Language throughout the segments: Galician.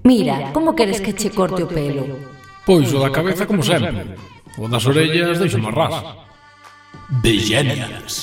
Mira, como queres que che corte o pelo? Pois o da cabeza como sempre. O das orellas deixo máis ras. The Genials.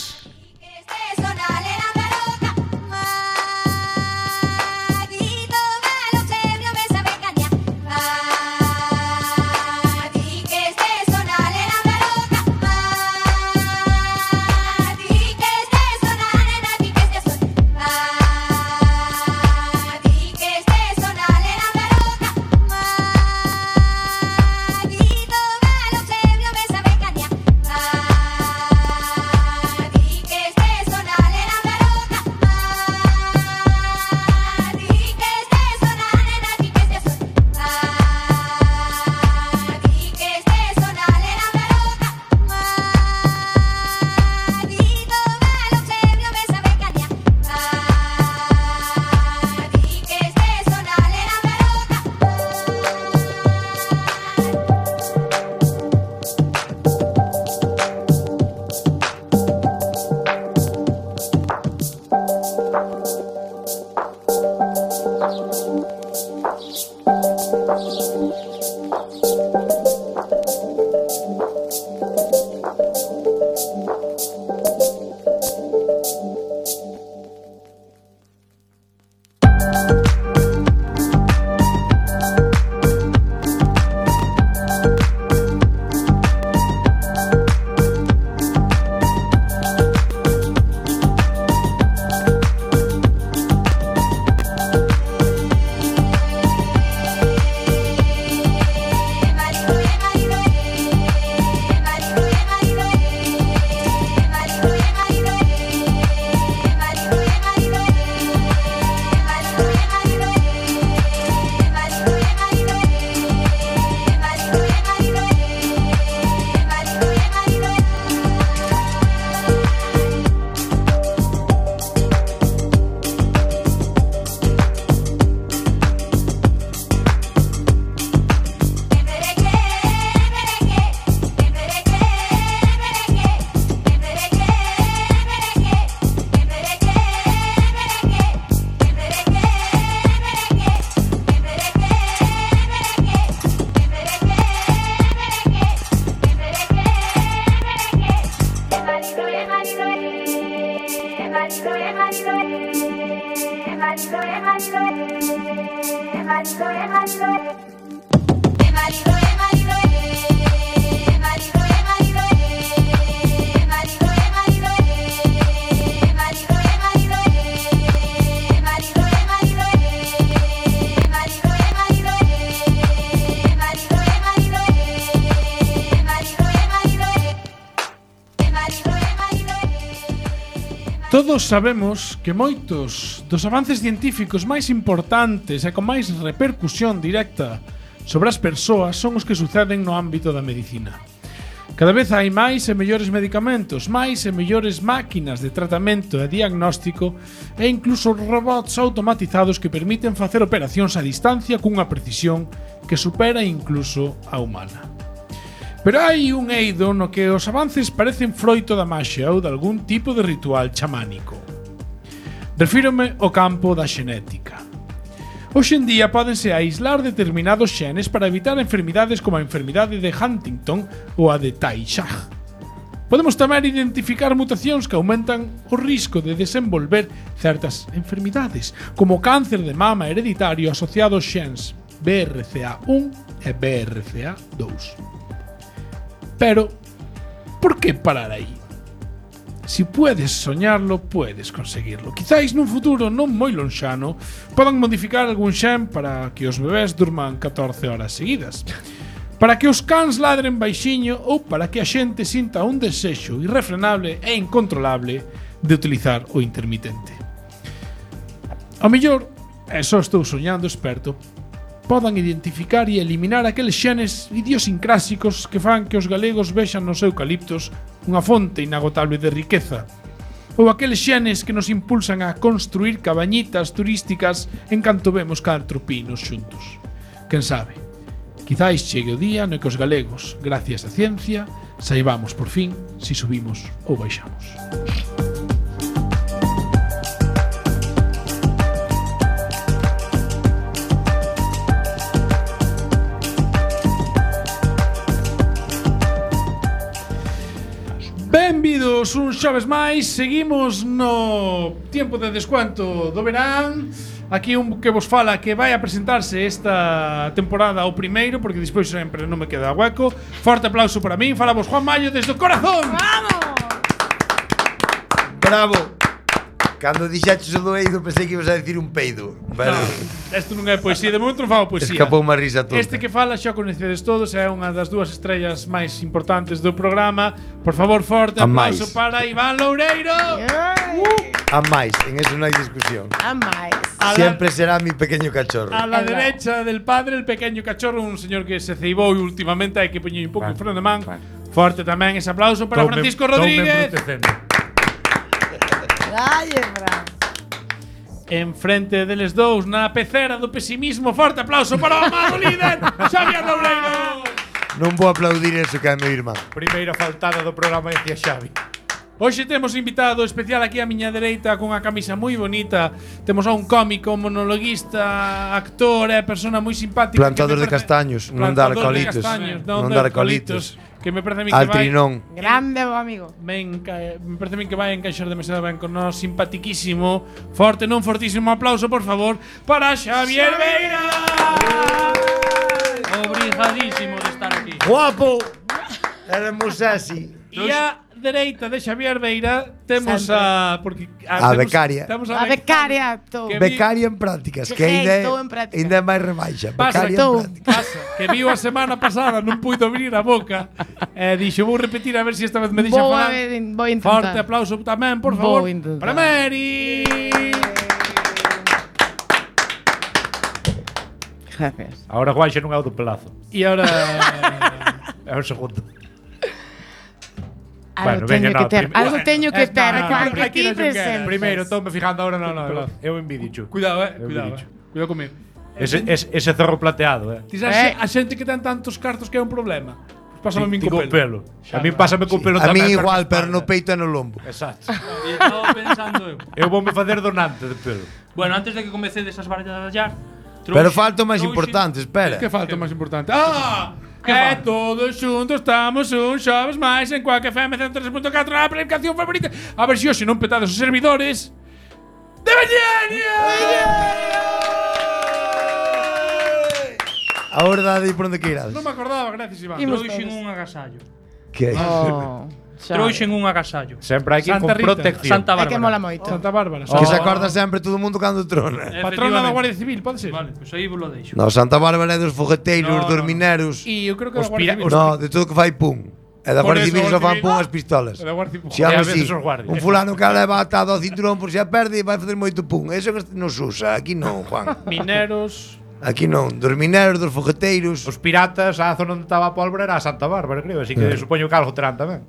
Todos sabemos que moitos dos avances científicos máis importantes e con máis repercusión directa sobre as persoas son os que suceden no ámbito da medicina. Cada vez hai máis e mellores medicamentos, máis e mellores máquinas de tratamento e diagnóstico e incluso robots automatizados que permiten facer operacións a distancia cunha precisión que supera incluso a humana. Pero hai un eido no que os avances parecen froito da maxia ou de algún tipo de ritual chamánico. Refírome ao campo da xenética. Hoxe en día pódense aislar determinados xenes para evitar enfermidades como a enfermidade de Huntington ou a de Tay Sachs. Podemos tamén identificar mutacións que aumentan o risco de desenvolver certas enfermidades, como o cáncer de mama hereditario asociado aos xens BRCA1 e BRCA2. Pero, por que parar aí? Si puedes soñarlo, puedes conseguirlo. Quizáis nun futuro non moi lonxano podan modificar algún xen para que os bebés durman 14 horas seguidas, para que os cans ladren baixiño ou para que a xente sinta un desexo irrefrenable e incontrolable de utilizar o intermitente. Ao mellor, e só estou soñando experto, podan identificar e eliminar aqueles xenes idiosincrásicos que fan que os galegos vexan nos eucaliptos unha fonte inagotable de riqueza, ou aqueles xenes que nos impulsan a construir cabañitas turísticas en canto vemos 4 pinos xuntos. Quen sabe, quizáis chegue o día no que os galegos, gracias á ciencia, saibamos por fin si subimos ou baixamos. Benvidos un xoves máis. Seguimos no tempo de descuento do verán. Aquí un que vos fala que vai a presentarse esta temporada o primeiro, porque despois sempre non me queda hueco. Forte aplauso para min. Fala vos Juan Mayo desde o corazón. ¡Vamos! Bravo. Cando dixaches o do eido pensei que ibas a decir un peido. Pero Isto non é poesía, de momento non fago poesía. escapou unha risa tonta. Este que fala xa coñecedes todos, é unha das dúas estrellas máis importantes do programa. Por favor, forte A aplauso máis. para Iván Loureiro. A máis, en eso non hai discusión. A máis. Siempre será mi pequeño cachorro. A la Es verdad. derecha del padre, el pequeño cachorro, un señor que se ceibou últimamente, hai que poñer un pouco en freno de man. Forte tamén ese aplauso para Francisco Rodríguez. Dalle, Fran. Enfrente deles dous, na pecera do pesimismo, forte aplauso para o amado líder, Xavier Loureiro. Non vou aplaudir eso que é meu irmán. Primeira faltada do programa decía Xavi. Hoxe temos invitado especial aquí á miña dereita con unha camisa moi bonita. Temos a un cómico, monologuista, actor, persona moi simpática. Plantador de castaños, non dar colitos. Non dar colitos. Que me parece a mí que vai Altrinón. Grande o amigo. me parece a mí que vai encaixar demasiado ben con nós, simpatiquísimo. Forte, non fortísimo aplauso, por favor, para Xavier Beira. Obrigadísimo de estar aquí. Guapo. Éramos así. E a dereita de Xavier Beira temos Sempre. a porque A temos- becaria. temos A becaria, tú. Que Becaria en prácticas, que ainda Estou en prácticas. ainda é máis rebaixa. Pasa, Becaria tú. en prácticas. pasa, que viu a semana pasada, non puido abrir a boca. Dixo, vou repetir a ver se esta vez me deixa Vou falar. vou intentar. Forte aplauso tamén, por Vou favor, intentar. para Mary. Gracias. Ahora Juan xa non é o do pelazo. E ahora É o segundo. Algo Bueno, teño venga, que no, ter. prim- Algo teño que ter. no, Juan, que aquí ti no se queda. presentes. Primeiro, estou-me fijando ahora no. Eu envidio, chu. cuidado, Eu cuidado. bicho. Cuidado comigo. Ese zorro plateado, Ti sabes a xente que ten tantos cartos que é un problema. Pues pásame a min Ti co con pelo. pelo. A min pásame con pelo A mí tamén. igual, pero no peito e no lombo. Exacto. Estaba pensando eu. Eu voume facer donante de pelo. Bueno, antes de que comecedes as barallas, Pero falta o máis importante, espera. Que falta o máis importante? Todos xuntos estamos un xoves máis en Quack FM 103.4 a aplicación favorita. A ver se hoxe non petades os servidores de Bellenia. Ahora dade por onde que irades. Non me acordaba, gracias Iván. Imos trouxen todos. un agasallo. Que Oh, xa. Trouxen un agasallo. Sempre hai que ir Santa con Rita. protección. Santa É que mola Bárbara. moito. Santa Bárbara. que se acorda sempre todo o mundo cando trona. Patrona da Guardia Civil, pode ser? Vale, pois aí vos lo deixo. No, Santa Bárbara é dos fogueteiros, No, dos no. mineros. E eu creo que Os da Guardia pira- Civil. No, de todo que fai pum. E da Por Guardia eso, Civil só fan Guardia pum Civil. as pistolas. Da Guardia Civil. Si algo E a así, veces os guardias. un fulano que leva atado ao cinturón por si a perde vai facer moito pum. Eso que nos usa, aquí non, Juan. Mineros. Aquí non, dos mineros, dos fogueteiros. Os piratas, a zona onde estaba a pólvora era a Santa Bárbara, creo. Así que supoño que algo terán tamén.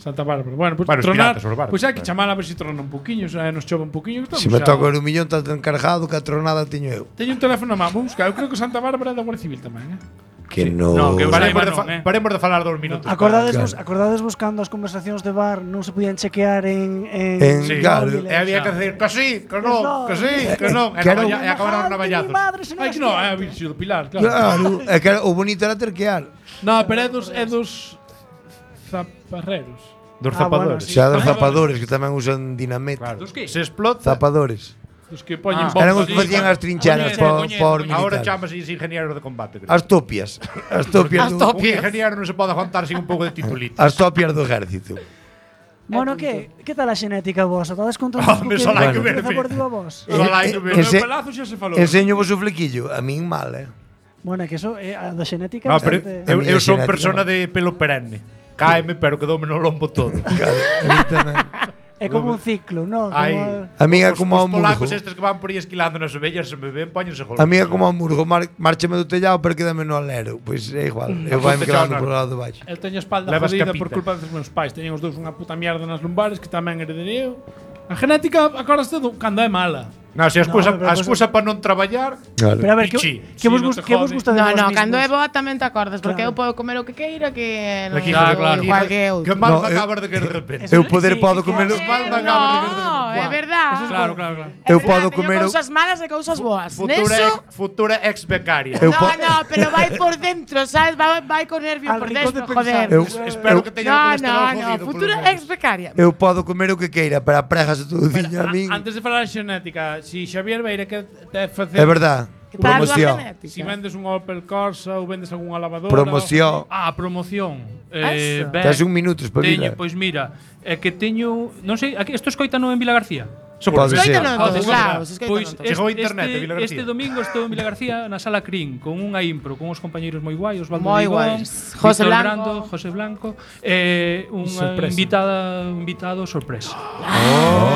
Santa Bárbara. Bueno, pues Bueno, os tronar. piratas, os barcos. Pois hai que chamar a ver se trona un poquinho, nos chova un poquinho. Se me toca o millón tan encargado que a tronada teño eu. Teño un teléfono na man, vou buscar. Eu creo que Santa Bárbara é da Guardia Civil tamén, Que non. No, que Paremos de, non, paremos de falar 2 minutos. Acordades vos cando as conversacións de bar non se podían chequear en En- claro. E había que decir que sí, que non, que sí, que non. E Claro. acabaron navallazos. Ai, que non, é a Virxio do Pilar, claro. Claro, é que o bonito era terquear. No, pero é dos zaparreros. Dos Ah, bueno, zapadores. sí. Xa dos zapadores que tamén usan dinamite. Claro. Dos que? Se explota. Zapadores. Dos que poñen Ah. bombas. Eran os que facían as trincheras por Ahora militares. chamase ingenieros de combate. Creo. As topias. As topias do, Un ingeniero non se pode aguantar sin un pouco de titulito. as topias do ejército. Bueno, que tal a xenética vosa? Estades contentos Home, só hai que verme. por digo a vos? Só hai que ver. Pero Ese- o pelazo xa se falou. Enseño vos o flequillo, a min mal, Bueno, é que eso a da xenética No, pero bastante- A eu miña son xenética, persona no. de pelo perenne. Cáeme, pero quedoume no lombo todo. Claro, a min tamén. é como un ciclo, non? Ai, A min é os- como os ao murgo. polacos estes que van por aí esquilando nas ovellas se me ven, póñense A mí é como ao murgo, márchame do tellado, pero quédame no alero. Pois é igual, eu vai me Tellado quedando no por lado de baixo. El teño a espalda Levas jodida capita. por culpa dos meus pais. Teñen os dous unha puta mierda nas lumbares que tamén heredei eu. A genética, acordaste do cando é mala. Non, se a excusa, No, pero a excusa para non traballar. Claro. Pero a ver, Pichi. que vos Sí, no te gusta de No, vos no, mismos? cando é boa tamén te acordas, porque Claro. eu podo comer o que queira que non Aquí, Claro, claro. igual que eu. Que mal No, me acabas de que de repente. Eu poder podo comer mal me acabas de que de No, repente. é verdade. Claro, claro, claro. É Eu verdade, podo teño comer o- cousas malas e cousas boas. Futura, Neso, futura ex becaria. Eu no, po- no, pero vai por dentro, sabes? Vai con nervio Al por rincón dentro, de joder. Eu, Espero que teña o No, colesterol no, jodido, polo futura menos. ex becaria. eu podo comer o que queira, pero a pregas todo o diño a min. Antes de falar de xenética, si Xavier Beira que te facer É verdad. Para a túa Promoción. genética. Si vendes un Opel Corsa ou vendes algunha lavadora. Promoción. Promoción. Eso. Ben, Tes un minuto, espabila. Teño, pois mira, é que teño, non sei, aquí isto escoitano en Vila García. Pode ser. Escoítano en todos Pode ser. lados, escoítano Pois en todos. Chegou a internet de Vila García. este domingo estou en Vila García na Sala Crin con unha impro, con uns compañeiros moi guai, Osvaldo Moi Vigón, guais. José Víctor Blanco. Brando, José Blanco, unha Sorpresa. invitado sorpresa.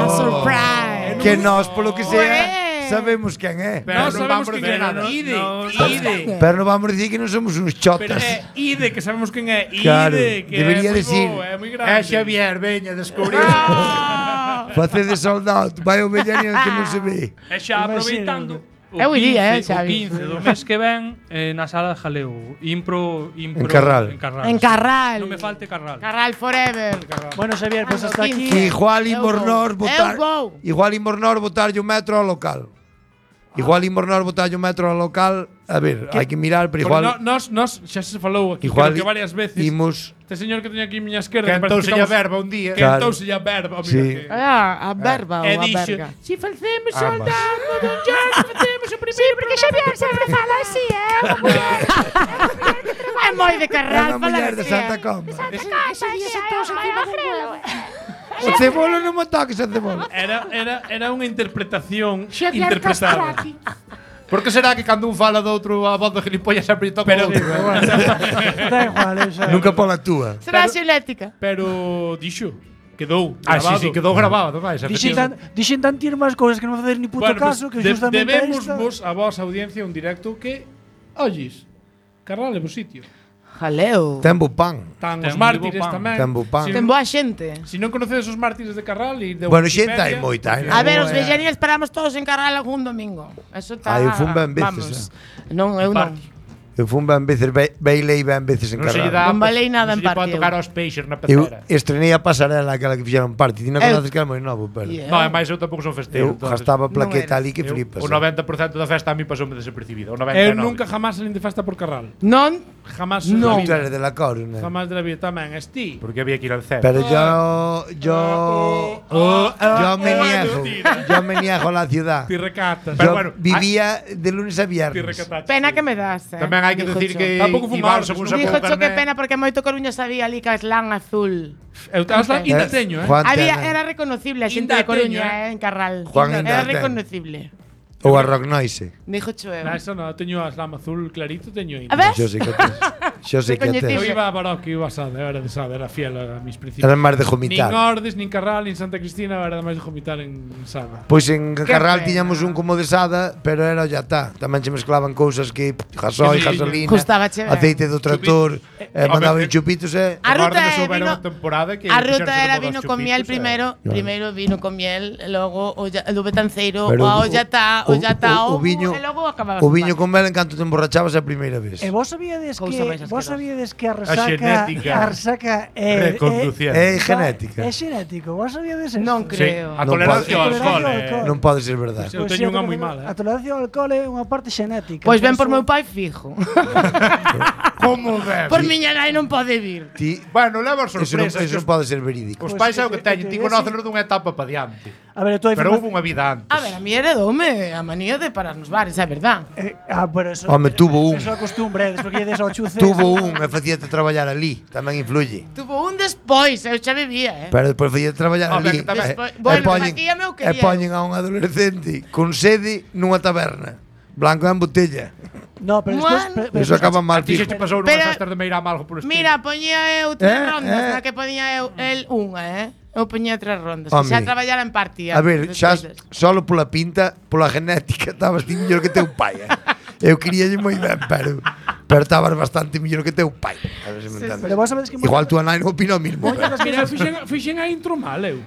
Surprise. Que nós, polo que sea, Ué. sabemos quen é. Pero Non non sabemos vamos quen decir é, nada. Ide. Pero non vamos dicir que non somos uns Pero chotas. é Ide, que sabemos quen é. Ide, Claro, que debería é moi decir. bo, é moi É grande. Xavier, veña, descubrir. Facede soldado, vai o Bellanian que non se ve. E xa aproveitando Eu iría, o Xavi. 15 do mes que ven na Sala de Jaleo, impro En Carral. En Carral. Non me falte Carral. Carral forever. Bueno, Xavier, pues hasta aquí. Igual Eu imos vou. nós botar. Eu vou. Igual imos nós botarlle o metro ao local. Igual imos nós botarlle o metro ao local. A ver, hai que mirar, pero Porque igual nos xa se falou aquí, igual creo que varias veces. imos Este señor que teño aquí a miña esquerda, Que que parece entonces que lla estamos- verba un día. que Claro. entonces ya verba, mira Sí. que. A verba ou E a dixo, verga. si facemos Ambas. soldado dun jazz, facemos o primeiro. Sí, porque Xavier sempre fala así, É moi de é Carral, unha muller de Santa Comba. O cebolo non me toques o cebolo. Era unha interpretación interpretada. Por que será que cando un fala do outro a voz de gilipollas sempre lle toca Pero- o outro? Da igual, xa. Nunca pola túa. Será xenética. Pero dixo, quedou Ah, sí, grabado. sí, quedou grabado, máis. Dixen tan tir máis cousas que non facer ni puto Bueno, caso, pues, que justamente debemos esta... vos a vos audiencia un directo que ollis. Carral é bo sitio. Jaleo. Ten bo pan. Tan Ten os moi mártires bo pan. tamén. Ten bo pan. Ten boa xente. Si non conocedes os mártires de Carral e de Bueno, Wikipedia, xente hai moita, pues, eh. A ver, os Boa. vellanias esperamos todos en Carral algún domingo. Eso está. Ah, eu fun ben veces, Vamos. Non, eu non. Eu fun ben veces, Bailey ben veces en Non se lle Carral. dá. Non valei nada en non se lle pode partido. tocar aos peixes na Eu pecera. estrenei a pasarela aquela que fixeron parte. Ti non Eu- conoces que era moi novo, pero Yeah. No, é máis eu tampouco son festeiro. eu gastaba plaqueta ali que Eu- flipas. O 90% da festa a mí pasoume desapercibido. O 99. Eu nunca jamás salín de festa por Carral. Non, Jamás. No. en Tú la vida. eres de la Coru, ¿no? Jamás de la vida tamén. Esti. Porque había que ir al CEP. Pero yo me niego a la ciudad. Ti recatas. Pero Yo bueno, vivía de lunes a Ti viernes. recataches. pena que me das. Tamén hai que decir que Tampouco Iván, fumabas, según non sacou Dijo o cho que carné, pena porque moito Coruña sabía ali Caslán azul. Eu ainda teño, Juan Había, Tena. era reconocible a xente Inda de Coruña, teño, en Carral. Juan Era Inda ten. reconocible. Ou a Rock Noise. Dijo Choeu. Na, eso no, teño a Slam azul clarito, teño aí. A ver, Yo sé que tes. Yo sé que Recoñecible. tes. Eu iba a Barocco, iba a Sada, era de Sada, era fiel a mis principios. Era máis de Nin vomitar. Ordes, nin Carral, nin Santa Cristina, era máis de vomitar en Sada. Pois en Carral pena. tiñamos un como de Sada, pero era o yatá. Tamén se mezclaban cousas que gasoi, Que gasolina, Gustaba che ver. aceite do tractor, mandaban chupitos e A ruta Agora é souberon vino- a temporada que a fixeron ruta sobre era modas vino con chupitos, miel primeiro, primeiro vino con miel, e logo o betanceiro, Pero o yatá, o o viño, e logo acababa. o viño con mel en canto te emborrachabas a primeira vez. E vos sabíades Cousa máis que asquerosa. a resaca é Reconduciendo. É genética. É xenético. Vos sabíades eso? Non Sí, creo. a Non tolerancia ao pode- alcohol. Tolerancia ao alcohol. Non pode ser verdade. Eu teño unha moi mala, A tolerancia ao alcohol é unha parte xenética. Pois ben por Eso- meu pai fijo. Como ben? Por miña nai non pode vir. Ti, Bueno, leva eso non, sorpresas. eso non pode ser verídico. Os Pois pais é o que que teñen, ti te- conócenos dunha etapa para diante. A ver, tú hai Pero houve unha vida antes. A ver, a mí heredoume a manía de parar nos bares, é verdad. pero eso. Home, tuvo un. Eso é costumbre, despois que lledes ao chuce. Tuvo un e facíate traballar ali, tamén influye. Tuvo un despois, eu xa vivía, Pero despois facíate traballar Home, ali. que tamén- Bueno, aquí é meu e quería. poñen a un adolescente con sede nunha taberna. Blanco en botella. No, pero despois. Bueno. Eso acaba mal A ti fijo. se te pasou Pero- nunha festas de Meirama algo por estilo. Mira, poñía eu 3 rondas, eh. na que poñía eu el unha, Eu poñía 3 rondas, Home. que xa traballara en partía. A ver, xa solo pola pinta, pola genética, estabas ti mellor que teu pai. Eu queríalle moi ben, pero Pero estabas bastante mellor que teu pai. A ver se me entendes. Pero vos sabedes que Igual tú, Anai, non opina o mismo. Mira, fixen a intro mal, eu.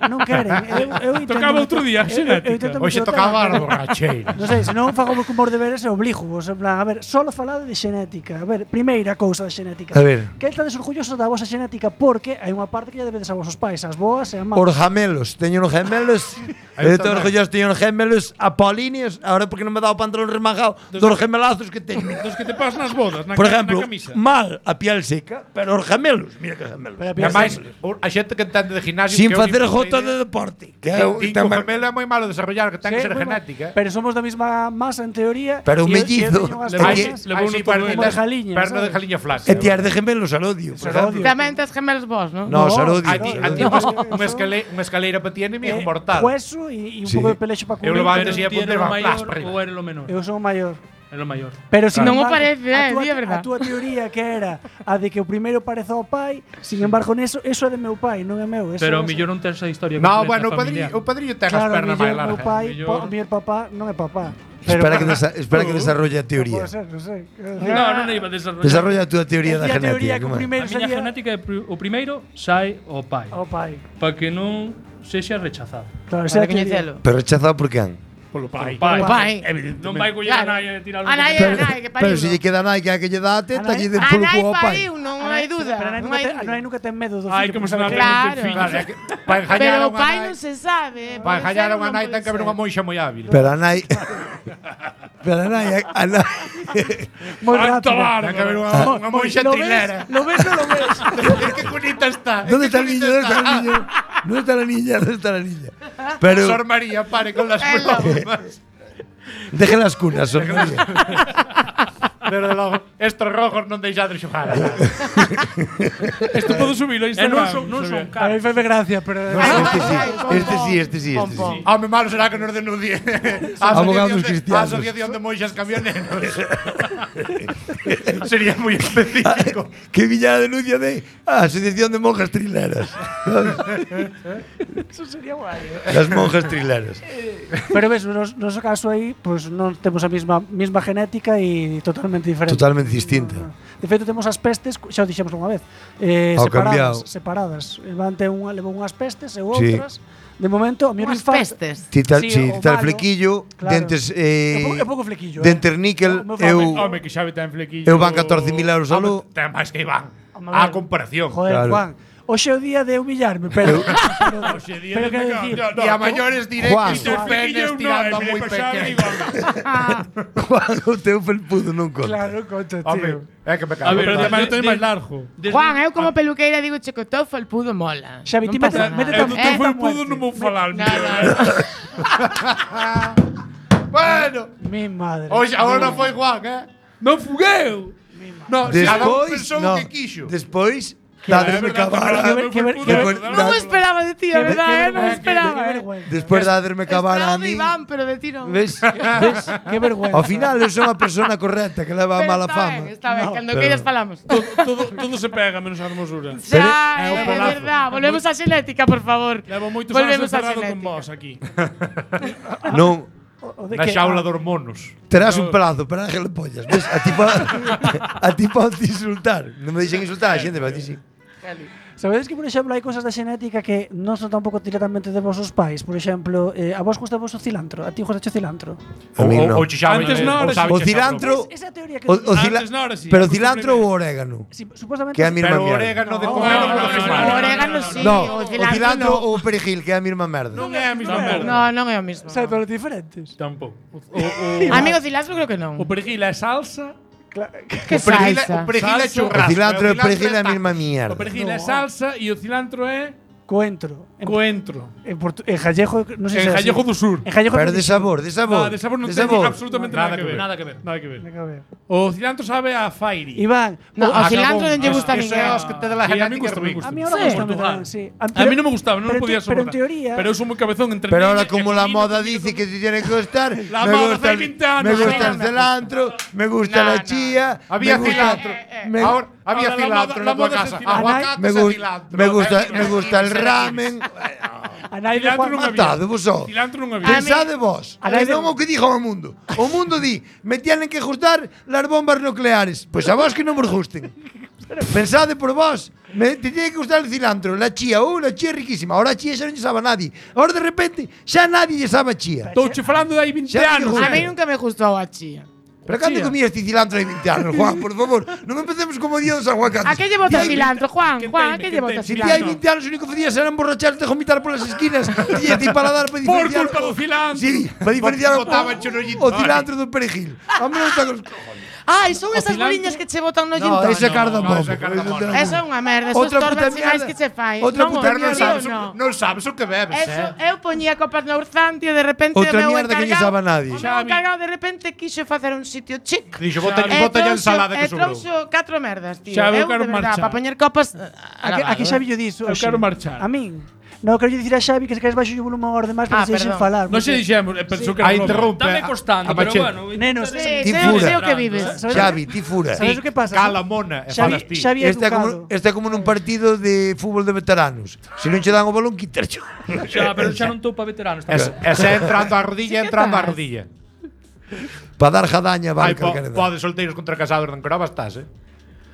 non queren. Eu intento Tocaba outro día, xenética. Hoxe tocaba a borracheira. Non sei, se non fago como os deberes e obligo vos, en plan, a ver, solo falade de xenética. A ver, primeira cousa da xenética. A ver. Que estades orgullosos da vosa xenética porque hai unha parte que lle debedes a vosos pais, as boas e as más. Os gemelos, teño uns gemelos. Estou orgulloso, teño uns gemelos apolíneos. Ahora porque non me dá o pantalón remangado dos gemelazos que teño. Dos que te pasas nas bodas, na, Por exemplo, na camisa. mal a piel seca, pero os gemelos, mira que gemelos. Pero a E piel máis, seca. a xente que entende de gimnasio Sin que eu facer nin jota puta de idea. deporte. Que O gemelo é moi malo desarrollar, que ten que ser Sí, genética. Pero somos da mesma masa en teoría. Pero un e eu mellizo. teño unhas Levou- cosas levou Aí sí, todo perna el- como de jaliña, perna de sabes? jaliña flaca. E tiar de gemelos Sarodio, por exemplo. Tamén tes gemelos vos, non? No, Sarodio. A ti unha escaleira para ti é enemigo mortal. Hueso e un Sí. pouco de pelexo para Eu cubrir. levaba Pero antes ia ti poner era o va maior para arriba. ou era o menor? Eu sou o maior. Era o maior. Pero sin Non o embargo, parece, di a verdad. A túa teoría que era a de que o primeiro parece ao pai, sin embargo, neso, eso é de meu pai, non é meu. Eso Pero é- mellor non tes a historia No, completa bueno, familiar. o padrillo ten as Claro, pernas máis mellor meu largas. pai, mellor- o mellor papá non é papá. Espera que desarrolle a teoría. Pode ser, non sei. Non iba a desarrollar. Desarrolla a túa teoría da Decía a teoría genética. que o como é? primeiro A miña sería genética é o primeiro sai ao pai, ao pai. para que non sexa rechazado. Claro, esa é Para a teoría. coñecelo. Pero rechazado por quen? Polo pai. O pai. Non vai coller a Claro. nai e tirar A nai é a nai, que Pero pariu. se lle queda nai que é a que lle dá a teta, Anai- lle den A polo nai cu ao pai. pariu, non hai dúda. Pero a nai Non nunca hai ten- a dúda. nai nunca ten medo do Ai, fillo. como porque se non sabe que- Claro. Claro, é que para engañar a Pero o unha pai nai, non se sabe. para pode engañar ser a ou unha non nai pode ten que haber ser. unha moixa moi hábil. Pero a nai Pero a nai a nai Moi Alto rápido. bar. Ten que haber unha moixa ¿Lo ves? trilera. ¿Lo ves o lo ves? Que bonita está. ¿Dónde está el niño? ¿Dónde está el niño? ¿Dónde está la niña? ¿Dónde está la niña? Pero Sor María, pare con las bromas. deje las cunas, Sor María. Pero logo, estos rojos non deixades xogar. Isto podo subilo a E Instagram. non son A mí caros. fai gracia, pero Este sí. Home, malo será que nos denuncie. Abogados A cristianos. Asociación de Moixas Camioneros. Sería moi específico. Que viña a denuncia de Asociación de Monjas Trileras. eso sería guai. Las monjas trileras. Pero ves, no noso caso aí, pues non temos a mesma genética e totalmente diferente. Totalmente distinta. De feito, temos as pestes, xa o dixemos unha vez, Ao cambiado. separadas. Levante levou unhas pestes e Sí. outras. De momento, o mellor Unhas infarto. pestes. Tita, Sí, sí, o tita malo. flequillo, Claro. dentes É pouco flequillo. dentes níquel, O meu eu Home, que Xavi ten flequillo. eu van 14.000 euros solo. Ten máis que Iván. Home, A ver. comparación. Joder, Claro. Juan. Hoxe é o día de humillarme, pero Oxe, día pero de quero pecado. dicir, No, E a maiores diré Juan. que tus penes tirando moi pequenos. Juan, o teu felpudo non conta. claro, concha, Home, tío. é que me A cago. ver, Pero tamén o teño de- máis largo. Juan, eu como peluqueira digo che que o teu felpudo mola. Xavi, Non ti pasa mete nada. tan Eu do teu tan felpudo non vou falar. No, no. Bueno, Mi madre. hoxe agora foi Juan, Non fugueu. No, cada un Despois, pensou no, o que quixo. despois, dadesme cabara. Non me esperaba de ti, a verdade, non me esperaba. Despois dadesme cabara a Esperaba de mí. Iván, pero de ti non. Ves? ¿Ves? Qué vergüenza. Ao final eu son a persona correcta que leva a Pero mala fama. Está ben, cando pero- queiras falamos. Todo se pega menos a hermosura. Xa, É o é pelazo. verdad. Volvemos á xenética, por favor. Levo moitos anos Volvemos á encerrado con xenética. vos aquí. Non, O de Na que- xaula de hormonos. terás un pelazo, pero Ángel pollas. Ves? A ti podes insultar. Non me deixen insultar a xente, pero a ti sí. Sabedes que, por exemplo, hai cosas da xenética que non son tampouco directamente de vosos pais? Por exemplo, a vos gusta vos o cilantro? A ti gusta o cilantro? A mí non. Ou chixaba. Antes non, ahora sí. O cilantro, Esa teoría que... Antes non, ahora sí. pero cilantro ou orégano? Sí, supuestamente... Que é a mesma Pero o mierda. orégano de No, comer no, non no, lo fai no, mal. O orégano sí, No, o o cilantro cilantro no. ou o perejil, que é a mesma merda. Non é a mesma Non, merda. No, non é o mismo. Sabe, pero diferentes. Tampouco. Amigo cilantro creo que non. O perejil é salsa. Que O perejil salsa. o perejil é Salsa. O churrasco. cilantro e o perejil é a está- mesma O mierda. perejil é salsa e o cilantro é Coentro. coentro. En gallego, non sei En se é así. Gallego do Sur. En gallego Pero de sabor, de sabor. No, de sabor non de ten sabor. absolutamente nada Nada que ver. Nada que ver. Nada que ver. Venga, a ver. O cilantro sabe a fairy. Iván, No, o Ah, cilantro Gabón. non lle gusta a Eso ninguén. é os que te de la Sí, a mí genética gusta, me ruin. gusta. a mí ahora Sí. gusta Portugal. sí. A mí non me gustaba, non lo podía Pero soportar. en teoría... Pero eu sou moi cabezón entre Pero niña ahora e como la combino, moda combino, dice combino. que te tiene que gustar, La me moda gusta, hace 20 años, me gusta no, el no. cilantro, me gusta No, la no. chía, Había me gusta, cilantro. me, Ahora había Ahora la cilantro moda- en la tua la moda es casa. el cilantro. Aguacate me, e gu- cilantro. me gusta el ramen. A nai de Cilantro Juan non había. Matade vos só. Cilantro non había. Pensade vos. A nai de- Non o que diga o mundo. O mundo di, me tienen que gustar las bombas nucleares. Pois a vos que non vos gusten. Pensade por vos. Te tiene que gustar el cilantro, la chía. La chía é riquísima. Ahora a chía xa non lle sabe a nadie. Ahora de repente xa nadie lle sabe a chía. Estou che falando de aí 20 Xa anos. digo, A mí nunca me gustou a chía. Pero cando comías ti cilantro hai 20 anos, Juan, por favor, non empecemos como día dos aguacates. A que lle botas cilantro, Juan? Juan, a que lle botas Si ti hai cilantro? 20 anos o único que facías era emborracharte e vomitar polas esquinas e ti para dar para Por diferenciar culpa do cilantro. Sí, para diferenciar Botaban chorollito. o cilantro do perejil. A mí non está con Ai, son esas cilantro? boliñas que che botan no gin No, tonic. esa é cardamomo. esa é cardamomo. Eso é unha merda, eso Outra estorba puta as sinais mierda. que che fai. Outra Non, puta o mierda. tío, sabes, no. non sabes o que bebes, Eso, eu poñía copas no Urzanti e de repente Outra o meu mierda que lle sabe a nadie. O meu encargado de repente quixo facer un sitio chic. Dixo, botalle ensalada que sobrou. trouxo 4 merdas, tío. Xa, eu Eu, quero de verdad, marchar. para poñer copas... Aquí Xavi yo diso. Eu quero marchar. A min. Non, quero dicir a Xavi que se queres baixo o volumen agora demais para Ah, se deixen perdón. falar. Non se porque- dixemos, pensou que era Aí broma. interrompe. Dame costando, a pero machete. bueno. Nenos, Sí, Ti sei fura. o que vives. Xavi, ti fura. Sabes o que pasa? Cala mona e falas ti. Xavi é Este é educado. como nun partido de fútbol de veteranos. Se non che dan o balón, quítarcho. Xa, pero xa non estou para veteranos. Ese entrando á rodilla, entrando á rodilla. Para dar jadaña, Ai, vale, calquera edad. podes solteiros contra casados en Crova estás,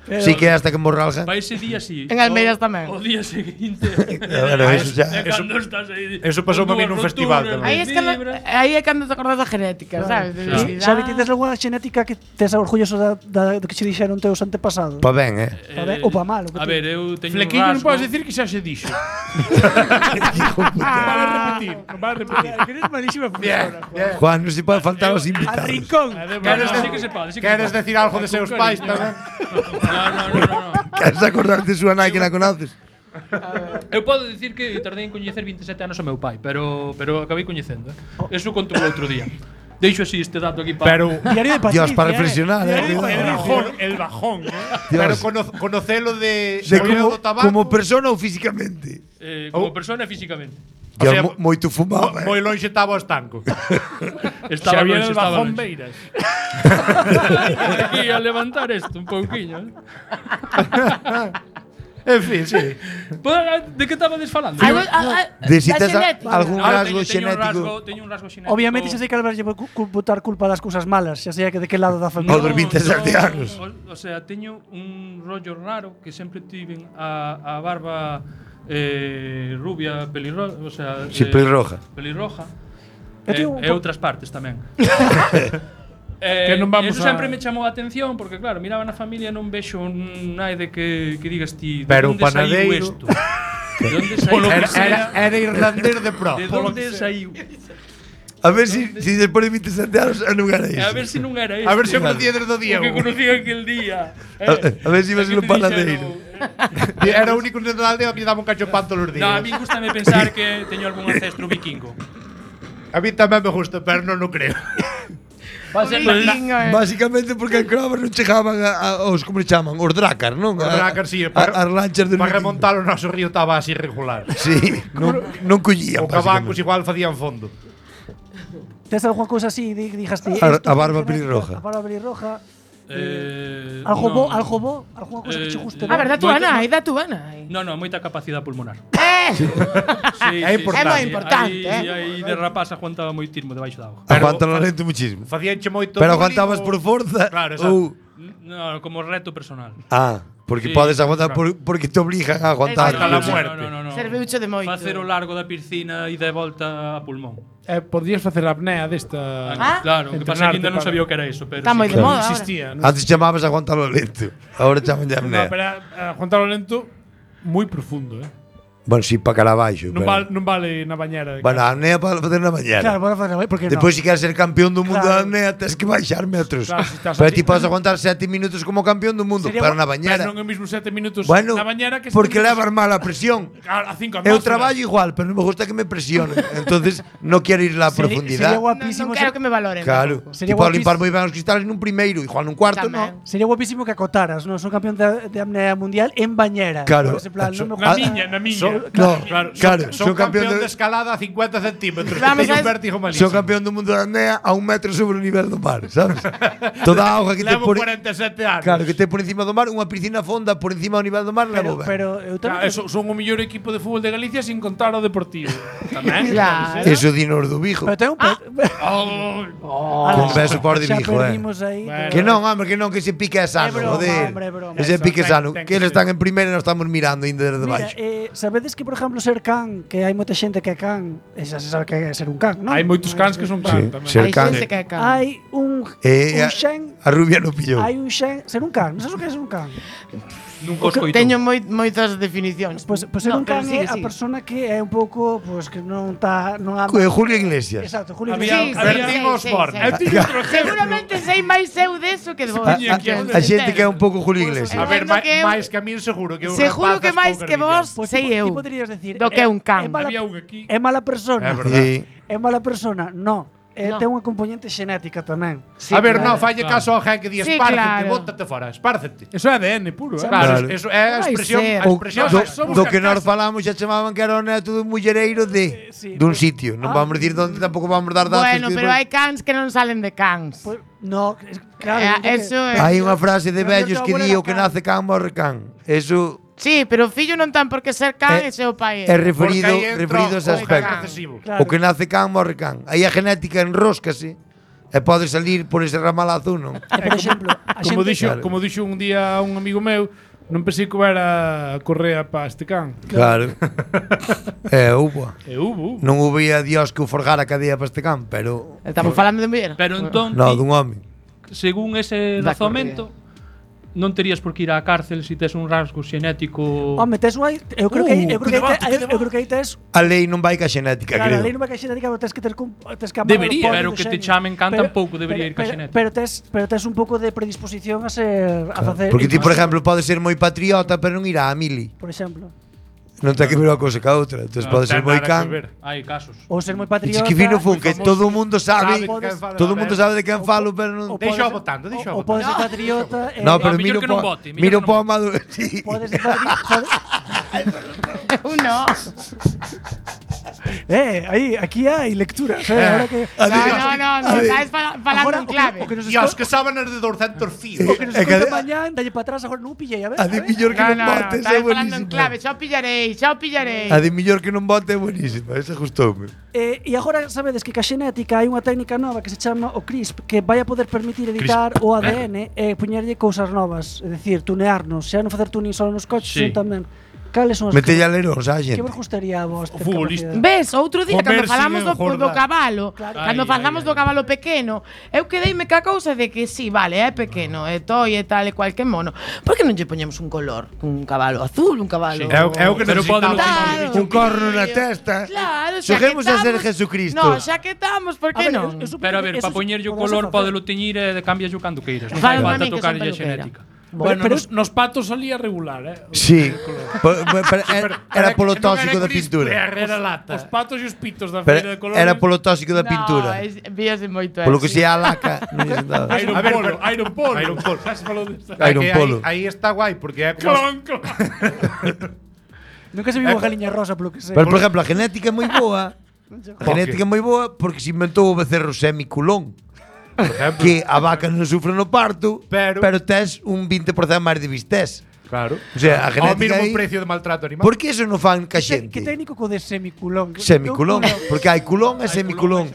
Sí que é hasta que morralja. Para ese día sí. En Almeiras tamén. O día seguinte. Bueno, eso xa. É cando estás aí. eso pasou a mí nun festival tamén. Aí aí é cando te acordas da genética, sabes? De debilidade. Xavi, ti tes algunha xenética que tes orgulloso do que che dixeron teus antepasados? Pa ben, Pa ben ou pa mal? A ver, eu teño un Flequillo non rasgo. podes decir que xa se dixo. Hijo Non puta. vale repetir, non vale repetir. Que eres malísima profesora. Juan, non se pode faltar aos Al invitados. rincón. Queres Sí que se pode, sí que Queres se pode. decir algo de seus pais tamén? No. Queres acordarte de súa nai que la conoces? Eu podo dicir que tardei en coñecer 27 anos ao meu pai, pero acabei coñecendo. Eso conto outro día. Deixo así este dato aquí para. Pero Diario de Patricia. Dios, para reflexionar, Diario de El Patricia. bajón, el bajón. pero Dios. conocelo de De Mollero do tabaco. como persona ou físicamente? Como persona e físicamente. Que O sea, moito fumaba. moi lonxe estaba o estanco. Estaba Xavier longe, el estaba bajón longe. Beiras. Aquí a levantar isto un pouquiño. En fin, sí. De que estabades falando? De si tes algún Ah, rasgo xenético. Teño un rasgo xenético. Obviamente xa sei que Álvaro lle vai botar culpa das cousas malas, xa sei que de que lado da familia. No, dos 27 anos. O sea, teño un rollo raro que sempre tiven a barba rubia, pelirroja, o sea, Sí, pelirroja. Pelirroja. Eu teño un E outras partes tamén. Que non vamos eso a- sempre me chamou a atención porque claro, miraba na familia e non vexo nai de que digas ti, de Pero o onde saiu panadeiro- isto? De onde saiu? Era irlandés de pro. De onde saiu? A ver si despois de 27 anos non era A iso. ver se non era isto. A ver se conocía desde o O Diego. que conocía aquel día. A ver se iba a ser un panadeiro. Era o único neno da aldea que lle daba un cacho de pan todos os días. No, a mí gustame pensar que teño algún ancestro vikingo. A mí tamén me gusta, pero non o creo. Básicamente porque en Crova non chegaban aos, como le chaman, os drácar, non? O Dracar, sí, As lanchas de para remontar o noso río estaba así irregular. Sí, non collían. O cabancos igual facían fondo. Tes algunha cousa así, dijaste A barba pelirroja. A barba pelirroja. Algo Algo bo, algunha cousa que che guste. A ver, da túa nai, da túa nai. No, moita capacidade pulmonar. Sí, É importante. É moi importante, Aí de rapaz aguantaba moitismo debaixo da agua. Aguanta lo lento muchísimo. Facíanche moito. Pero bullying aguantabas ou- por forza Claro, exacto. ou No, como reto personal. porque Sí, podes aguantar porque te obligan a aguantar. Hasta la muerte. No. Serviuche de moito. Facer o largo da piscina e de volta a pulmón. Podrías facer a apnea desta. Ah, Claro, o que pasa é que ainda non Entrenarte sabía o que era iso, pero Está moi de moda ahora. Existía. Non? Antes chamabas aguantalo lento. Ahora chaman de No, apnea. pero aguantalo lento moi profundo, Bueno, si para cara abaixo. Non vale na bañera. Bueno, a apnea para facer na mañana. Claro, para facer, porque Despois, se queres ser campeón do mundo Claro. da apnea, tens que baixar metros. Claro, si estás Pero así. ti podes aguantar 7 minutos como campeón do mundo, Sería pero na Pero bañera. non é mesmo 7 minutos Bueno, na bañera que porque 7 levas mal a presión. Claro, a 5 Eu traballo igual, pero non me gusta que me presionen. Entonces, non quero ir a Sería profundidad. guapísimo. Non quero que me valoren. Claro. Sería Tipo, guapísimo. limpar moi ben os cristales nun primeiro, igual nun cuarto, Tamén. non. Sería guapísimo que acotaras, non? Son campeón de apnea mundial en bañera. Claro. Por ese plan, non me Na gusta. miña. No, claro, Son son campeón campeón de de escalada a 50 centímetros. Vamos Teño a- un vértigo son malísimo. campeón do mundo da apnea a 1 metro sobre o nivel do mar, sabes? Toda a auga que te Levo por 47 anos. Claro, que te por encima do mar, unha piscina fonda por encima do nivel do mar, levo ben. Pero eu tamén Son o mellor equipo de fútbol de Galicia sin contar o Deportivo. Tamén. Claro. Eso dinos do Vigo. Pero ten un Con beso por de xa Vigo, perdimos aí. Bueno. Que non, hombre, que non, que ese pique é sano, É broma, joder. hombre, é broma. Ese pique é sano. ten Que eles están en primeira e nós estamos mirando ainda desde Mira, baixo. sabedes que, por exemplo, ser can, que hai moita xente que é can, xa se sabe que é ser un can, non? Hai moitos cans que son can tamén. ser Hai can. xente que é can. Hai un xen, A rubia no pillou. hai un xen, ser un can, non sabes o que é ser un can. Nunca os coito. Teño moitas definicións. Pois ser No, un can pero sigue, é a sigue. persona que é un pouco, pois que non anda Julio Iglesias. Exacto, Julio Había- Iglesias. Perdimos Borne. Seguramente sei máis eu deso que de vos. A xente que é un pouco Julio Iglesias. A ver, Entendo que eu- máis que a min seguro que eu Seguro que rapazas máis poucas que vos viñas. sei Ti eu. poderías decir Do que é un can. É mala, Había un aquí. é mala persona. É verdade. Sí. É mala persona, no. No. Ten unha componente xenética tamén. A ver, non, falle caso ao gen que di Sí, espárcete, claro. bótate fora, espárcete. Eso é ADN puro, Claro, Claro. eso é a Vai expresión, ser. a O, expresión. do que nós falamos xa chamaban que era o neto dun mullereiro de Sí, dun pues- sitio. Non vamos decir onde, tampouco vamos dar datos. Bueno, que pero despois- hai cans que non salen de cans. Pues, no, claro. Eso é. Hai unha frase de Pero vellos eu que teu di abuelo o que era can. nace can morre can. Eso Sí, pero o fillo non tan por que ser can É- e seu pai. é referido Porque aí entra referido a ese o gen aspecto. recesivo. Claro. O que nace can morre can. Aí a genética enróscase e pode salir por ese ramalazo, non? Por exemplo, a Como xente dixo, como dixo un día un amigo meu, non pensei que era correa para este can. Claro. Hubo. E hubo. Non hubía Dios que o forjara a cadea para este can, pero Estamos falando de muller. Pero entón, no, ti, dun home. según ese Da razonamento, non terías por que ir á cárcel se tes un rasgo xenético. Home, tes unha, eu creo que eu creo que aí tes A lei non vai ca xenética, claro, a creo. lei non vai ca xenética, pero tes que ter tes que amarrar Debería, o poder pero do que te xenio. chamen can tampouco debería ir ca xenética. Pero tes un pouco de predisposición a ser a facer Porque ti, por exemplo, pode ser moi patriota, pero non irá a mili. por exemplo, Non ten que ver unha cousa ca outra. Entón pode ser moi can. Hai casos. ou ser moi E patriota. que fino fun, que todo o mundo sabe, Sabe de quen fala, todo o a mundo ver. sabe de quen falo, pero non... ou Deixa podes- votando, deixa ou podes ser patriota. No, pero millor miro que non po, vote, miro millor que po non Amado, sí. Podes ser patriota. Uno. Aí, aquí hai lectura, ahora que No, estás falando en clave. o que nos Dios, que sábanas de 200 fíos. o que nos É que- escoita mañán, dalle para atrás, agora non pillei, a ver. A de millor que No, non no, vote, estás esa é falando en clave. buenísima. Xa o pillarei. A de millor que non vote é buenísima, esa gustoume. E agora sabedes que ca xenética hai unha técnica nova que se chama o CRISP, que vai a poder permitir editar o ADN e poñerlle cousas novas, é dicir, tunearnos, xa non facer tuning só nos coches, Sí. sino tamén. Cales son as Metelle aleróns á que xente. vos gustaría a vos ter futbolista. capacidade? Ves, outro día Comer cando falamos sin do engordar. cabalo, Claro. cando Ai, falamos ai, do cabalo pequeno, eu quedeime ca cousa de que sí, vale, é pequeno, é toi e tal e cual que mono. Por que non lle poñemos un color? Un cabalo azul, un cabalo... Sí. É o que Pero necesitamos. Claro. Un corno na testa. Claro, xa que Xoguemos a ser estamos- Jesucristo. No, xa que estamos, por A que ver, non? eu supoño Pero a que ver, eso para poñerlle o podese color, facer. podelo teñir e cambias o cando queiras. Non Fala fai a falta min que son tocarlle a peluquera. xenética. Bueno, pero nos patos salía regular, Sí, era polo tóxico da pintura. Era lata. Os patos e os pitos da Pero feira de colores. era polo tóxico da pintura. Víase moito Polo que así. se a laca, non lle sentaba. Iron A ver, Polo, pero- Iron Polo. Iron Polo. Xa se falou disto. Iron Polo. Aí está guai, porque é como... Clon, clon. Nunca se viu unha galiña rosa polo que sei. Pero, por exemplo, a genética é moi boa. A genética é moi boa porque se inventou o becerro semiculón. Que a vaca non sufre no parto, Pero- pero tes un 20% máis de vistés. Claro. O sea, a Ao genética mínimo aí... precio de maltrato animal. Por que eso non fan ca Que xente? técnico co de semiculón? Semiculón, porque hai culón e semiculón.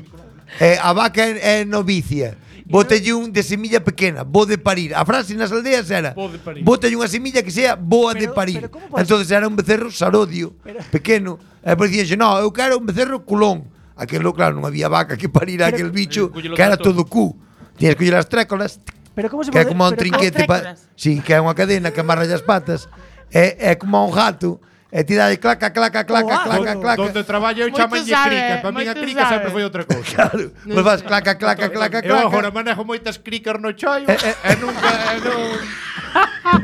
A vaca é novicia. Bótelle un de semilla pequena, bo de parir. A frase nas aldeas era: Bo de parir. bótelle unha semilla que sea boa de Pero- parir. pero como pode Entonces era un becerro sarodio, pequeno. E pois dixenxe: "No, eu quero un becerro culón." Aquelo, claro, non había vaca que parira aquel bicho, collelo que era todo. todo cu. Tienes que coller as trécolas, Pero como se que é pode- como un pero trinquete trécolas? Sí, que é unha cadena que amarra as patas. É como un gato. E ti dai claca, claca, claca, claca, claca. Donde traballo eu Moito chamalle sabe, crica. Para min a moito crica sabe. sempre foi outra cousa. Claro, pois vas claca, claca, claca, Eu agora claca. manejo moitas crickers no choio e nunca...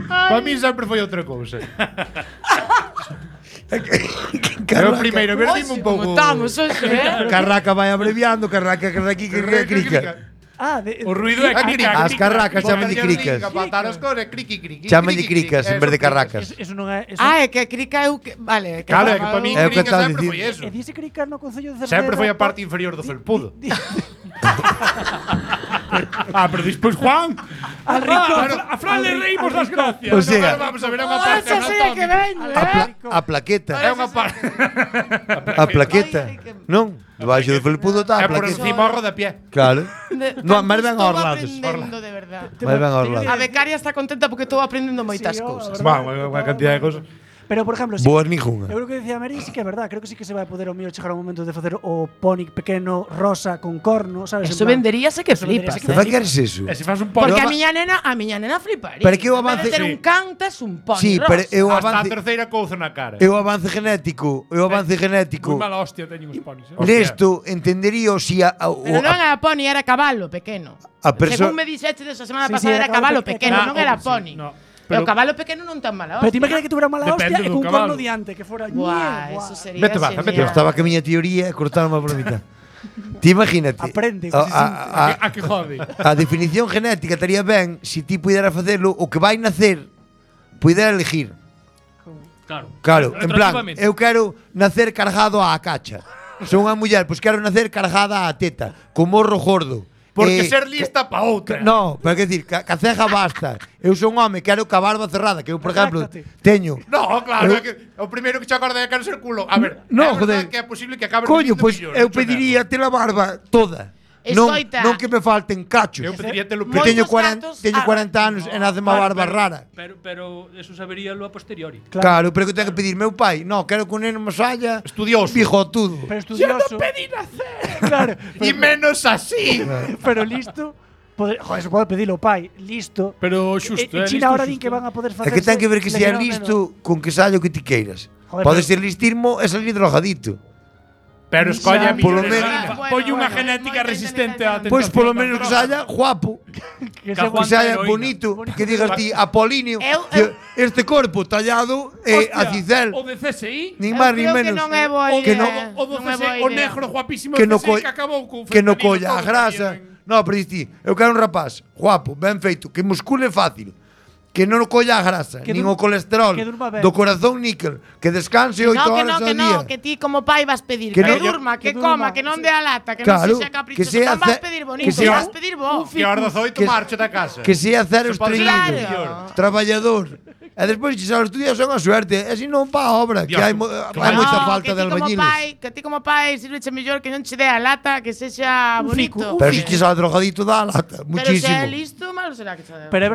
Para min sempre foi outra cousa. Eu primeiro, a ver, dime un pouco... Como estamos, hoxe, Carraca vai abreviando, carraca, carraqui, carraca, crica. O ruido é crica. As carracas chaman de cricas. Patar as cores, criqui, criqui. Chaman de cricas en vez de carracas. Eso non é... Eso É que crica eu que... Vale, que Claro, é que para mí É o que crica tal sempre dicir. foi eso. E dice crica no Concello de Cerceda. Sempre foi a parte inferior do felpudo. Pero despois Juan. Al rincón. A Fran le reímos las gracias. O sea, Vamos a ver, é unha parte Esa sea que veño, a plaqueta. É unha parte. A plaqueta. Non? Debaixo do felpudo está É a por plaqueta. encima o rodapié. Claro. No, máis ben aos Estou lados. aprendendo, de verdade. Máis ben aos A lados. becaria está contenta porque estou aprendendo moitas cousas. Unha cantidad de cosas. Pero, por exemplo, Boas ningunha. eu creo que dicía Mary sí que é verdad. Creo que sí que se vai poder o mío chegar ao momento de facer o pony pequeno rosa con corno, sabes? Eso En plan- venderíase que Eso flipas. venderíase Que vai queres eso? E se faz un pony. Porque a miña nena fliparía. Pero que o En vez avance- de ter un can, tes un pony Sí, rosa. pero eu Hasta a avance terceira couza na cara. eu avance genético, Moi mala hostia teñen os ponis. Nesto entendería si Pero non era pony, era cabalo pequeno. a persoa Según me dixeche desa semana Sí, sí, pasada, era era cabalo cabalo pequeno, pequeno. non era sí, pony. no. E o Pero- cabalo pequeno non tan mala Pero hostia. ti imaginas que tuvera mala Depende hostia e do cun cabalo. corno diante, que fora... Buah, Buah. eso sería Vete baza, genial. vete eu estaba que a miña teoría e cortaron por la mitad. Ti imagínate. Aprende, a que jode. a definición genética estaría ben se ti pudera facelo o que vai nacer pudera elegir. Claro. Claro, en plan, Retroactivamente. eu quero nacer cargado á cacha. Son unha muller, pois quero nacer cargada á teta, con morro gordo. Porque ser lista pa outra. No, pero que decir, que a ceja basta. Eu son un home, quero ca barba cerrada, que eu, por exemplo, teño. No, claro, é que o primeiro que che acorda é que quero ser culo. A ver, No, é verdade joder. que é posible que acabe Coño, vivindo pois millóns, eu mucho pediría ter a barba toda. Escoita. Non que me falten cachos. Eu pediría telo Que Moitos teño 40, gatos- teño 40 anos e nace má barba rara. Pero eso saberíalo a posteriori. Claro, pero que tengo que pedir meu pai. No, quero que un neno me saia Estudioso. bigotudo. Pero estudioso. Claro, E menos así. pero listo. Joder, se pode pedilo, pai. Listo. Pero xusto, En China ahora din que van a poder É facer. que ten que ver que sea listo con que saia o que ti queiras. Joder, Pode pero- ser listismo e salir drogadito. Pero escolla a Polo millóns. menos- Polle unha genética resistente á tentación. Pois polo menos que saia guapo, Que Ca- que saia heroína. bonito, que digas ti Apolinio, que este corpo tallado a cicel, O de CSI. nin máis nin creo que menos. non é boa que no, idea. O do Non é CSI, boa o idea. negro guapísimo que de no CSI co- que acabou con que no fentanilo colla a todo grasa. tamén. No, pero ti, eu quero un rapaz guapo, ben feito, que muscule fácil, que non colla a grasa, Que nin dur- o colesterol, que durma ben. do corazón níquel, que descanse 8 horas ao día. Que ti como pai vas pedir Que que, no- durma, que que coma, durma, que non sí. dé a lata, que Claro, non sexa caprichoso, que sea non vas ce- pedir que bonito, sea- vas pedir bo. Que a hora das 8 Que- marcha da casa. Que sea cero Se pode ser estreñido, mellor. traballador. E despois, se os estudias son a suerte, e se non pa a obra, que Dios, hai, hai claro. moita No, falta que de ti como albañiles. pai, que ti como pai sirveche mellor que non che dé a lata, que sexa bonito. Pero se che sale drogadito dá a lata, Pero se muchísimo. é listo, malo será que che dé. Pero é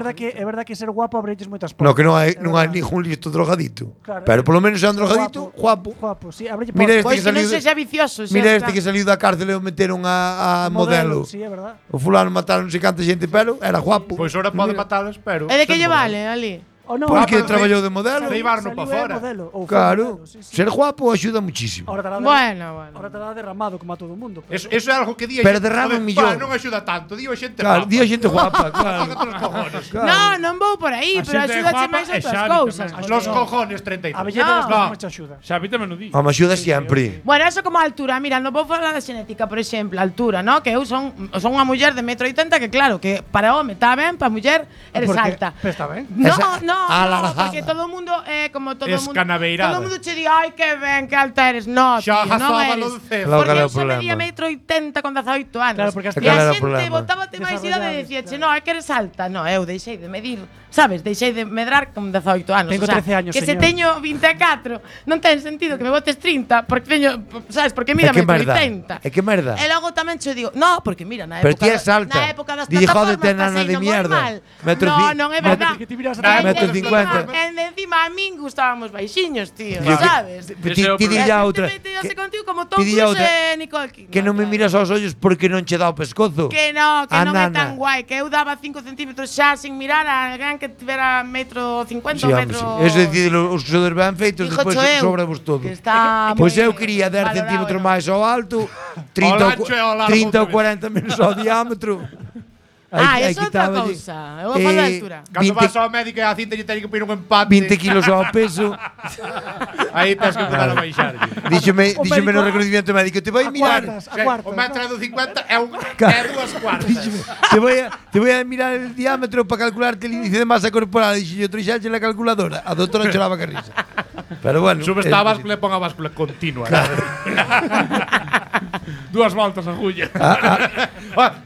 verdad que ser guapo abreches moitas portas. No, que non hai, É non hai verdad. ningún listo drogadito. Claro. Pero polo menos é un drogadito, guapo. Guapo, sí, abreche Mira portas. este Pois que que non saliu sexa vicioso, xa Mira está. este que saliu da cárcel e o meteron a modelo. Sí, é verdad. O fulano mataron non sei canta xente, pero era guapo. Pois ahora pode matalas, pero... E de que lle vale, ali? O non, Porque pero traballou de modelo. Saliu- Llevarno pa fora. Claro, ser guapo axuda muchísimo. Ahora te Bueno. Ahora te la derramado como a todo o mundo. Eso é algo que di a Pero xente, derrama joder, millón. pa, non axuda tanto, di a xente Claro, guapa. di a xente guapa, claro. Tócate os cojones. No, non vou por aí, A pero xente axúdache guapa máis e outras Xavi cousas. tamén. Los joder. cojones 33. A belleza das No. cousas te axuda. Xavi tamén o di. A me axuda sempre. Bueno, eso como a altura. Mira, non vou falar da xenética, por exemplo, a altura, ¿no? Que eu son unha muller de 1,80 m que claro, que para home está ben, para muller eres Porque- alta. pero está ben. No, Esa- no, alargada. porque todo o mundo é como todo o mundo. Escanaveirada. Todo o mundo che di, ai que ben, que alta eres. No, tío, Xa non jazábalo eres. do cero. Claro, Porque cal é eu o xa medía problema? 1,80 m con 18 anos. Claro, porque as e Cal era a o xente problema? botábate máis idade e Desarrollado, dicíache, no, é que eres alta. No, eu deixei de medir, sabes? Deixei de medrar con 18 anos. Tengo O sea, 13 años, que se señor. teño 24, non ten sentido que me botes 30, porque teño, sabes, porque mira, É que merda. 80. É que merda. E logo tamén che digo, no, porque mira, na Pero época, ti és alta. na época das Dille, plataformas jódete, nana pasei de no mierda. normal. Metro No, ci- non é metro- verdad. Que ti miras E atrás. Metro encima- 50. E encima a min gustábamos baixiños, tío, Yo que- sabes? Ti Ese é o ti problema. dille a E a outra. xente meteose que- contigo como Tom ti dille a Cruise outra e Nicole Kidman. Que non me miras aos ollos porque non che dá o pescozo. Que non A é nana. tan guai, que eu daba 5 centímetros xa sin mirar a alguén que tivera 1,50 Sí, m, home, sí. Eso é dicir, os xogadores ben feitos, Dijo despois cho eu, sobravos todo. que está Pois moi eu quería 10 valorado, centímetros non? máis ao alto, 30 Ao ancho e ao largo 30 ou outra 40 menos ao diámetro. Eso é outra cousa. É unha falta de altura. Cando vas ao médico e a cinta lle teñen que poñer un empate. 20 kilos ao peso. Aí tens que empezar a baixar. Díxome no reconocimiento médico, te vai mirar. O metro do 50 é 2 cuartas. Te voy a mirar el diámetro para calcularte el índice de masa corporal. Dixo yo, trixaxe la calculadora. A doutora choraba que risa. Pero bueno. Subes a báscula e pon a báscula continua. Dúas voltas a agulla.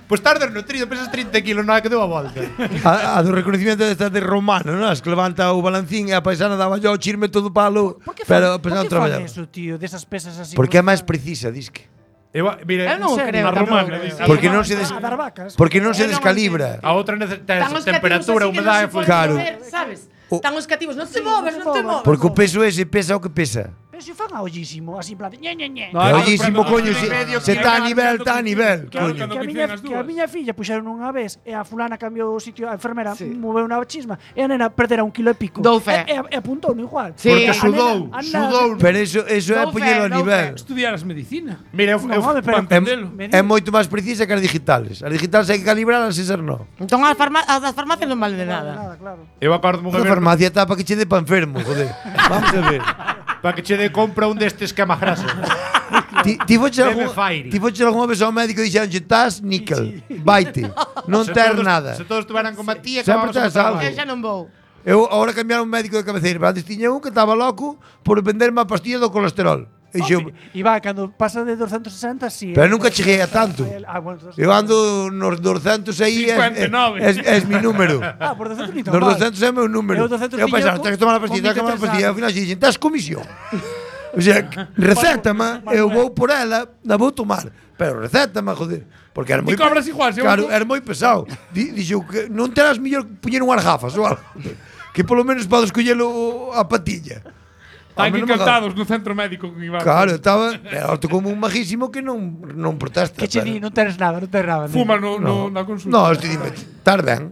Pois tardes nutrido, pesas 30 kilos, non é que deu a volta. A do reconocimiento destas de romano, non? As que levanta o balancín e a paisana daba yo chirme todo palo. Pero pensando traballar. Por que eso, tío, desas pesas así? Porque é máis precisa, disque. Eu non creo. Porque non se descalibra. A outra temperatura, humedade, claro. Sabes? Están os cativos, non te moves. Porque o peso ese pesa o que pesa. Pero se fan a ollísimo, así en plan, ñe. Ollísimo, coño, se está a nivel, está a nivel. Que a miña filla puxeron unha vez e a fulana cambiou o sitio, a enfermera moveu unha chisma e a nena perdera 1 kilo e pico. E apuntou no igual. Porque sudou. Pero eso é poñelo a nivel. Estudiaras medicina. Mira, é moito máis precisa que as digitales. As digitales hai que calibrarlas e ser non. Entón as farmacias non valen de nada. Eu acordo A farmacia está para que che dé pa enfermo, joder. Vamos a ver. Para que che dé compra un destes quemagrasas. Ti foches algunha vez ao médico e dixeronche, estás níquel, vaite, non ter nada. Se todos estuveran con Matías, sempre tes algo. Eu xa non vou. Eu agora cambiaron un médico de cabeceira, pero antes tiña un que estaba loco por venderme a pastilla do colesterol. E va, cando pasa de 260, sí. Pero nunca cheguei a tanto. Eu ando nos 200 aí, es mi número. Por 200 ni tan Nos 200 é meu número. Eu pensaba, tens que tomar a pastilla, ao final dixen, estás comisión. O sea, recétame, eu vou por ela, la vou tomar. Pero recétame, joder. Porque era moi cobras igual, claro, era moi pesado. Dixo que non terás mellor poñer unhas gafas ou algo. Que polo menos podes collelo a patilla. Están encantados no centro médico con Iván. Claro, estaba como un majísimo que non protesta. Que che di, non tenes nada. Fuma na consulta. No, estoy dime, tar ben.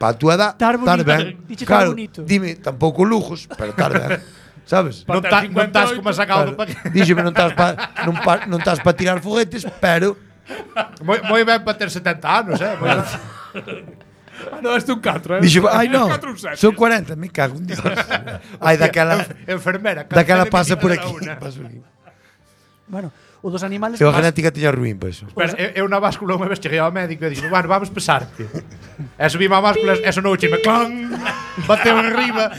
Pa tu edad, tar ben. Claro, dime, tampouco lujos, pero tar ben. Sabes? Non estás como sacado. Díxome, non estás pa tirar foguetes, pero moi ben para ter 70 anos, No, este un 4, Dixo, ai non, son 40, me cago en Dios. Ai, daquela enfermera, daquela pasa por aquí. Bueno, o dos animales. Eu a genética teña ruín, pois. Espera, eu na báscula unha vez cheguei ao médico e dixo, bueno, vamos pesarte. E subí a báscula, eso non chime, clan, bateu en riba.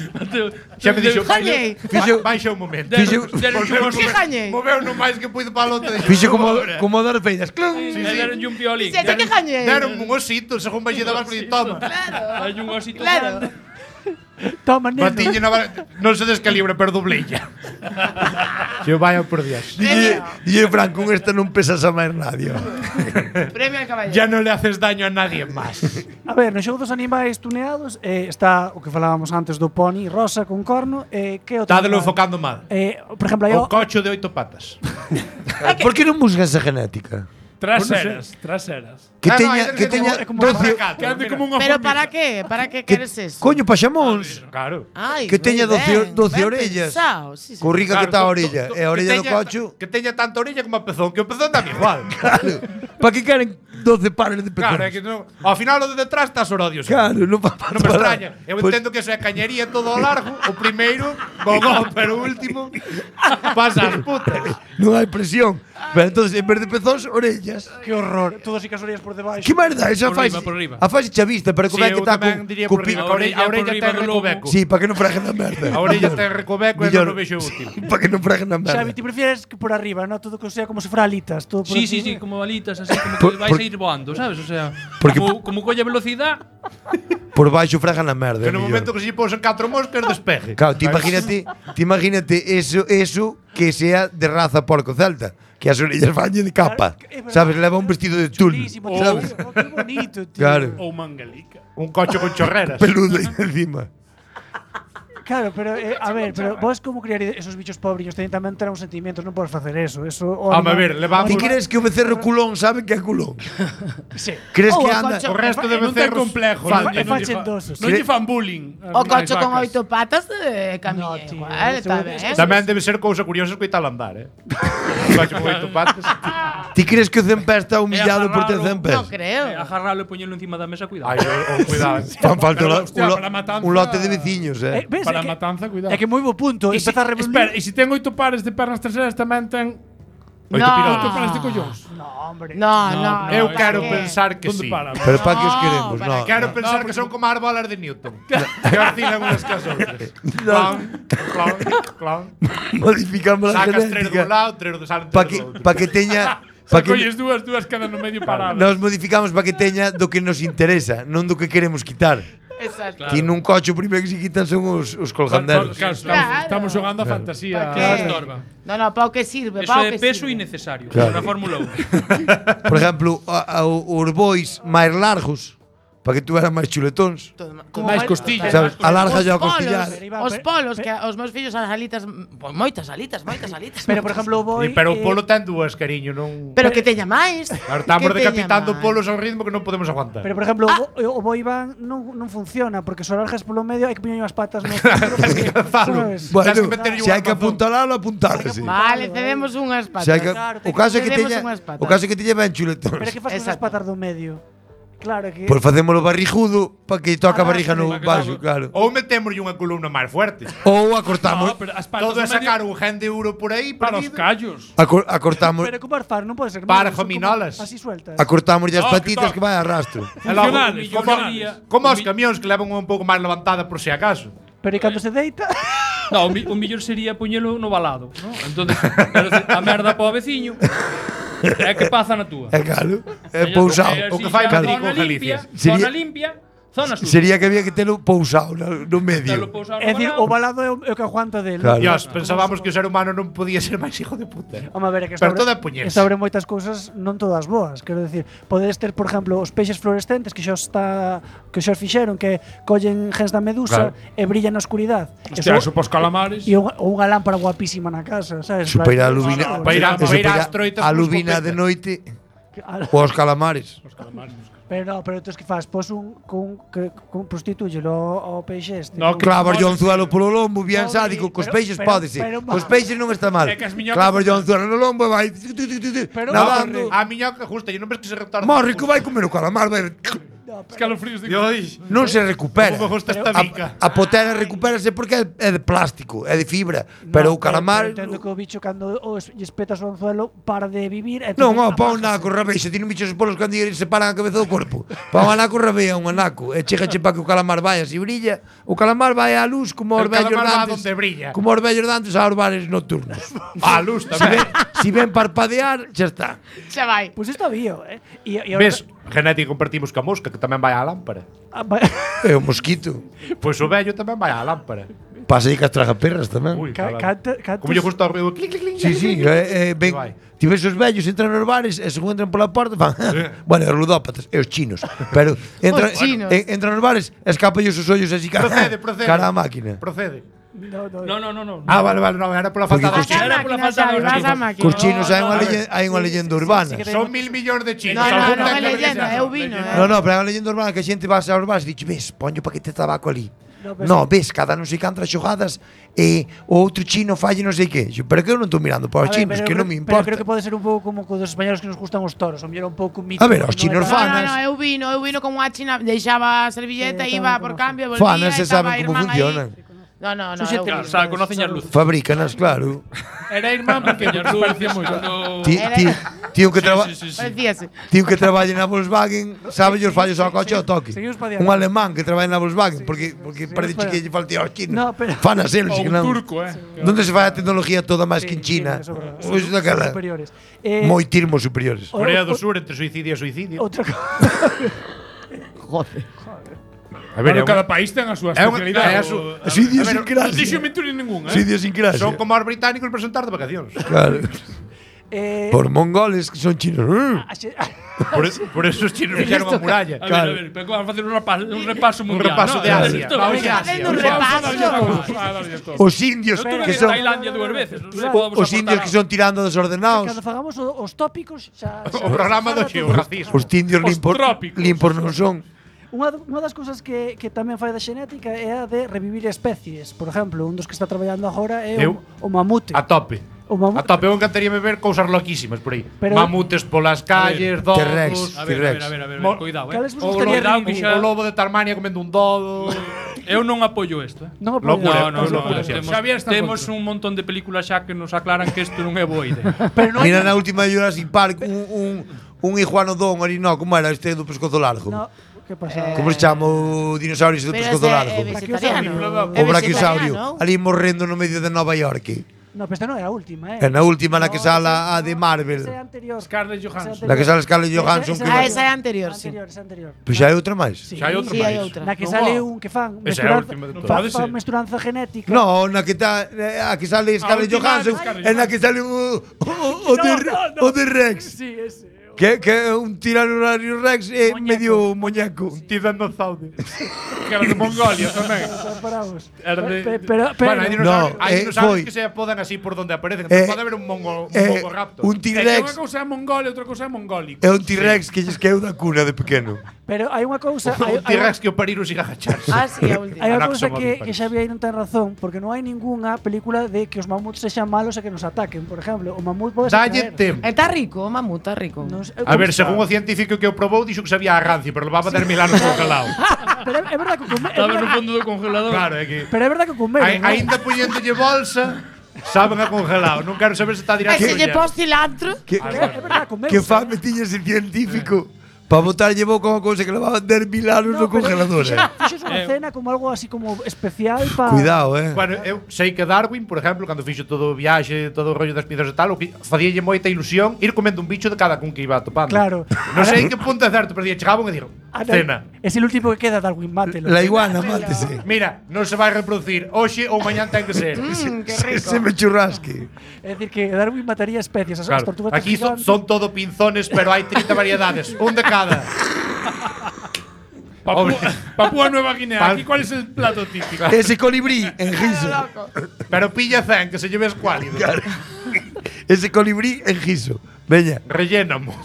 Xa me dixo, baixa un momento. Moveu non máis que puido para a lota. Fixo como dar feiras, clan. Deronlle un piolín. Deron un osito, según baixei da báscula e toma. Hai un osito. Toma, neno. Non se descalibra, pero dobleilla. Yo vaya por Dios. Dille, Fran, con esta non pesas a máis nadie. Premio al caballero. Ya non le haces daño a nadie máis. A ver, no xogo dos animais tuneados está o que falábamos antes do pony rosa con corno. Que outro? Tádelo enfocando mal. Por exemplo, o cocho de 8 patas. Por que non buscas esa genética? Traseras. Que teña 12. Pero para qué? Para qué queres eso? Coño, paxamóns. Claro. Que teña 12 orellas. Currica que está a orella. E a orella do cocho. Que teña tanta orella como a pezón. Que o pezón dá igual. Claro. Para que queren 12 pares de pezón? Claro, é que non. Ao final o de detrás está sorodios. Claro, non me extraña. Eu entendo que eso é cañería todo ao largo. O primeiro, gogó, pero o último pasa as putas. Non hai presión. Pero entonces, en vez de pezóns, orellas. Que horror. Todas as orellas por debaixo. Que merda, esa faz. A faz chavista, pero como é que está con a orella ten recoveco. Sí, para que non freguen a merda. A orella ten recoveco e non o vexo útil. Para que non freguen a merda. Xavi, ti prefieres que por arriba, no? Todo que sea como se fuera alitas, todo por Sí, como alitas, así como que vais a ir voando, ¿sabes? O sea, como colle velocidade. Por baixo fregan a merda. Que no momento que se posen 4 moscas despeje. Claro, ti imagínate eso que sea de raza porco celta. Que as orellas fañen de capa. Sabes, leva un vestido de tul. Sabes? Que bonito, tío. Claro. Ou mangalica. Un coche con chorreras. Peludo aí encima. Claro, pero a ver, pero vos como criar esos bichos pobriños tamén terán sentimientos, non podes facer eso. Eso A ver, levamos. Ti crees que o becerro culón sabe que é culón? Sí. Crees Ou que o anda... cocho- O resto de Non ten becerros complejo. É fachendosos. Non lle fan bullying. O cocho con 8 patas camiña No, tío, igual, eso- está ben. Tamén debe ser cousa curiosa escoitalo andar, Un coche con 8 patas. Ti crees que o Zempé está humillado por ter Zempé? Non creo. Agarralo e poñelo encima da mesa, cuidado. Ai, cuidado. Fan falta hostia, para a matanza- un lote de veciños, Ves, Para a matanza, cuidado. É que moi bo punto. Empeza a revolución. Espera, e se ten 8 pares de pernas traseras tamén ten Oito No. 8 pirolas. pares de collóns. No, hombre. No. Eu ¿para quero qué? pensar que Onde sí. para? Pero para que os queremos, para no. Quero pensar que son como as bolas de Newton. Que oscilan unhas cas outras. Clon, clon, clon. Modificamos a Sacas 3 genética dun lado, 3 do salen para 3 do outro. que teña Pa para que colles dúas quedan no medio paradas. nos modificamos para que teña do que nos interesa, non do que queremos quitar. Exacto. Ti nun coche o primeiro que se quitan son os colganderos. Claro, estamos xogando a fantasía. Estorba. No, para o que sirve, Eso para o é que peso sirve. innecesario. Claro. Na Fórmula 1. Por exemplo, os bois máis largos para que tuveran máis chuletóns. Máis costillas. Sabes, alarga yo a Polos, costillar. os polos, que os meus fillos as alitas, pois moitas alitas. Pero, por exemplo, o boi... Pero o polo ten dúas, cariño, non... Pero que teña máis. Claro, estamos que teña decapitando máis. polos ao ritmo que non podemos aguantar. Pero, por exemplo, o boi van non funciona, porque se o largas polo medio hai que poñer as patas no centro, porque, sabes? Bueno, Tens que meterlle se un hai que armazón. apuntalalo, apuntálase. Vale, cedemos unhas patas. Se hai que, Claro, o caso é que cedemos teña unhas patas. o caso é que teña ben chuletóns. Pero que faz con as Exacto. patas do medio? Claro que... Pois facémolo barrigudo para que toque a barriga no baixo, claro. Ou metémoslle unha columna máis fuerte. Ou acortamos No, pero as patas Todo é do medio sacar un gen de euro por aí para os perdido. callos. acortamos Pero como far, non pode ser. Para son como gominolas. Así sueltas. acortamos as No, patitas que que vai a rastro. E logo, Funcionales, como, funcionales. como os camións que levan un pouco máis levantada por si acaso. Pero e cando se deita... No, o millor sería poñelo no balado, ¿no? Entonces, quero dicir, a merda para o veciño. É que pasa na túa. É claro, é pousado. O que fai Zona Madrid con limpia, Galicia. Sería- zona limpia, zona sucia. Sería que había que telo pousado no Telo medio. pousado no É dicir, balado. o balado é o que aguanta del. Claro. Dios, pensábamos que o ser humano non podía ser máis hijo de puta. Home, a ver, é que Pero todo é puñerse. sobre moitas cousas non todas boas. Quero decir, podedes ter, por exemplo, os peixes fluorescentes que xa fixeron que collen gens da medusa e brillan na oscuridade. Hostia, eso pos calamares. E unha lámpara guapísima na casa, sabes? Eso para ir a lubina, Para ir a- eso para ir para ás troitas a con lubina escopeta. de noite ou aos calamares. Pero no, pero tú es que fas, pos con prostitúyelo ao peixe este. No, que- Clavar yo anzuelo polo lombo, bien Pobre, sádico, cos pero- peixes pero- pódese. pero- Cos peixes non está mal. É que as miñocas- Clavar yo anzuelo no lombo e vai Pero- nadando. A miñoca justa, e non ves que se retarda. Morre que vai comer o calamar, vai. Escalofríos de Dios, Non se recupera. como me gusta esta mica. A potera recupérase porque é de plástico, é de fibra, pero o calamar Entendo que o bicho cando lle espetas o anzuelo para de vivir. non, pa un naco rabeixa, ti non bichos os polos cando se paran a cabeza do corpo. Pa un anaco rabea un anaco, e chegache pa que o calamar vai así brilla. O calamar vai á luz como os El vellos calamar va dantes. donde brilla. Como os vellos dantes aos bares nocturnos. A luz Si tamén. ven parpadear, xa está. Xa vai. Pois isto había, E Ves, genética compartimos ca mosca, que tamén vai á lámpara. É o mosquito. Pois o vello tamén vai á lámpara. Pasa aí que as tragaperras tamén. Ui, como lle gusta o ruido, clic, clic, clic. Sí, sí, ben, vai. ti ves os vellos entran nos bares e según entran pola porta fan, bueno, os ludópatas e os chinos, pero entran, Os chinos. entran nos bares, escapallos os ollos así Procede, procede. cara a máquina. Procede. No. Ah, vale, vale, no, era pola falta Porque de Era pola falta de vas a orégano. máquina. Cos chinos hai unha leyenda urbana. Son 1000 millóns de chinos. No, algún non é ten que leyenda, ver eu vino, No, no, pero é unha leyenda urbana que a xente vas aos bares e dixe, ves, poño paquete de tabaco ali. No, pero No, ves, cada non sei cantas xogadas e o outro chino falle non sei que. Pero que eu non estou mirando para os chinos, que non me Pero importa. creo que pode ser un pouco como co dos españoles que nos gustan os toros, o mellor un pouco mito. A ver, os chinos No, fanas. eu vino con unha china, deixaba a servilleta, Sí, iba tamén por conozco. cambio, volvía, Fanas se estaba saben como irmán aí. funcionan. No, Son xente eu Claro, o sea, conocen as luces. Fabrícanas, claro. Era irmán pequeño, nos parecía moito. Tío que traballe na Volkswagen, sabe os fallos ao coche ao toque. Seguimos pa diante. Un alemán que traballa na Volkswagen, porque parece pa que lle faltía aos chinos. No, pero- Fanas eles, Ou que un non. turco, Donde se fai a tecnología toda máis que en China? eso é verdade. Pois daquela. Superiores. Moitirmos superiores. Corea do Sur entre suicidio e suicidio. Outra cosa. A ver, Bueno, cada país ten a súa é unha- especialidade. é a su- Así idiosincrasia. Non dixo mentira ningunha, Sí, idiosincrasia. Son como os británicos presentar de vacacións. Claro. Eh, Por mongoles que son chinos. a xe- Por eso os chinos fixeron a muralla. A ver, pero vamos a facer un repaso mundial. repaso de Asia. Esto- Vamos a Facendo un repaso. Os indios Eu tuve que en son Tailandia 2 veces. Non sei, os podemos aportar indios que algo. son tirando desordenados. Cando fagamos os tópicos xa O programa do xeorracismo. Os indios trópicos. limpos non son. Unha das cousas que tamén fai da xenética é a de revivir especies. Por exemplo, un dos que está traballando agora é o mamute. A tope. O mamute. A tope, eu encantaríame ver cousas loquísimas por aí. Pero- Mamutes polas calles, dodos. T-Rex. A ver, Mo- cuidado, Cales vos O gustaría lobo, revivir? o lobo de Tasmania comendo un dodo. Eu non apoio isto, Non o Locura. podemos. No, Locura, temos, Xavier está temos contra. un montón de películas xa que nos aclaran que isto non é boa idea. Pero non Mira na última de Jurassic Park un iguanodón ali, no, como era este do pescozo largo? No, que pasa? Como se chama o dinosaurio ese do Pero pescozo ese largo? é vegetariano. O brachiosaurio, ali morrendo no medio de Nova York. No, pero esta non é a última, É na última na que sala a de Marvel. Esa é anterior. Scarlett Johansson. Na que sale Scarlett Johansson. Ah, esa é anterior, sí. Esa anterior. Pois xa hai outra máis. Sí. Xa hai outra Sí, máis. hai outra. Na que Non sale va. un que fan Esa é a última de todas. fan mesturanza genética. No, na que está a que sale Scarlett última Johansson, de Scarlett é na que sale o de Rex. Sí, ese. Que é un tiranosaurio Rex e Muñeco. medio muñeco. Tiranosaurio. Que era de Mongolia tamén. Paraos. Era de- Pero Bueno, hai dinosaurios, No, hai dinosaurios foi. que se podan así por donde aparecen. Eh, Pode haber un Un mongoraptor. É que T-Rex. unha cousa é Mongolia, outra cousa é mongólico. É un T-Rex que lles queu da cuna de pequeno. Pero hai unha cousa, Un T-Rex que o parir siga agacharse. Ah, sí, a última. hai unha Anaxo cousa móvil, que Xavier non ten razón, porque non hai ningunha película de que os mamuts sexan malos e que nos ataquen. Por exemplo, o mamut pode Dalle caer. tempo. Está rico, o mamut, está rico. Non sei- A ver, según o científico que o probou, dixo que sabía a rancio, pero levaba 10.000 anos congelado. Pero é verdade que comer, Estaba no fondo do congelador. Claro, é que pero é verdade que comer. aínda poñéndolle bolsa, saben a congelado. Non quero saber se está E directo. se lle pos cilantro, Que, É verdade comer. que fame tiña ese científico para botarlle boca unha cousa que levaba 10.000 anos no congelador. Fixo unha cena como algo así como especial para Cuidado, Bueno, eu sei que Darwin, por exemplo, cando fixo todo o viaxe, todo o rollo das piedras e tal, o que facíalle moita ilusión ir comendo un bicho de cada cun que iba topando. Claro. Non sei en que punto é certo, pero día chegaban e dixo, cena. Es el último que queda, Darwin, mátelo. La iguana, mátese. Mira, non se vai reproducir hoxe ou mañán ten que ser. qué rico. Se me churrasque. Es decir, que Darwin mataría especies. As Claro, tortugas aquí gigantes. son todo pinzones, pero hai 30 variedades, un de cada. Hombre. Papúa Nueva Guinea. Pal- Aquí, ¿cuál es el plato típico? Ese colibrí en giso. Pero pilla 100, que se lleve escuálido. Ese colibrí en giso. Veña. Rellénamo.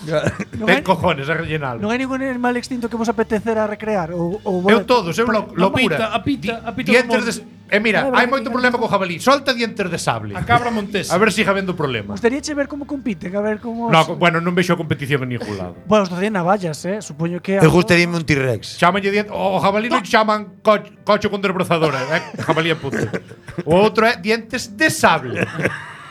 Non Ten hai- cojones a rellenalo. Non hai ningún animal extinto que vos apetecera recrear ou Eu todos, eu locura. A pita Dientes de... mira, É hai verdade moito que- problema co jabalí. Solta dientes de sable. A cabra montesa. A ver se siga habendo problema. Gustaríache ver como compiten, a ver como No, bueno, non vexo a competición en ningún lado. Bueno, os tenían navallas, supoño que Eu gustaríame un T-Rex. Chámanlle dientes, o jabalí non chaman cocho con desbrozadora, jabalí é puto. O outro é dientes de sable.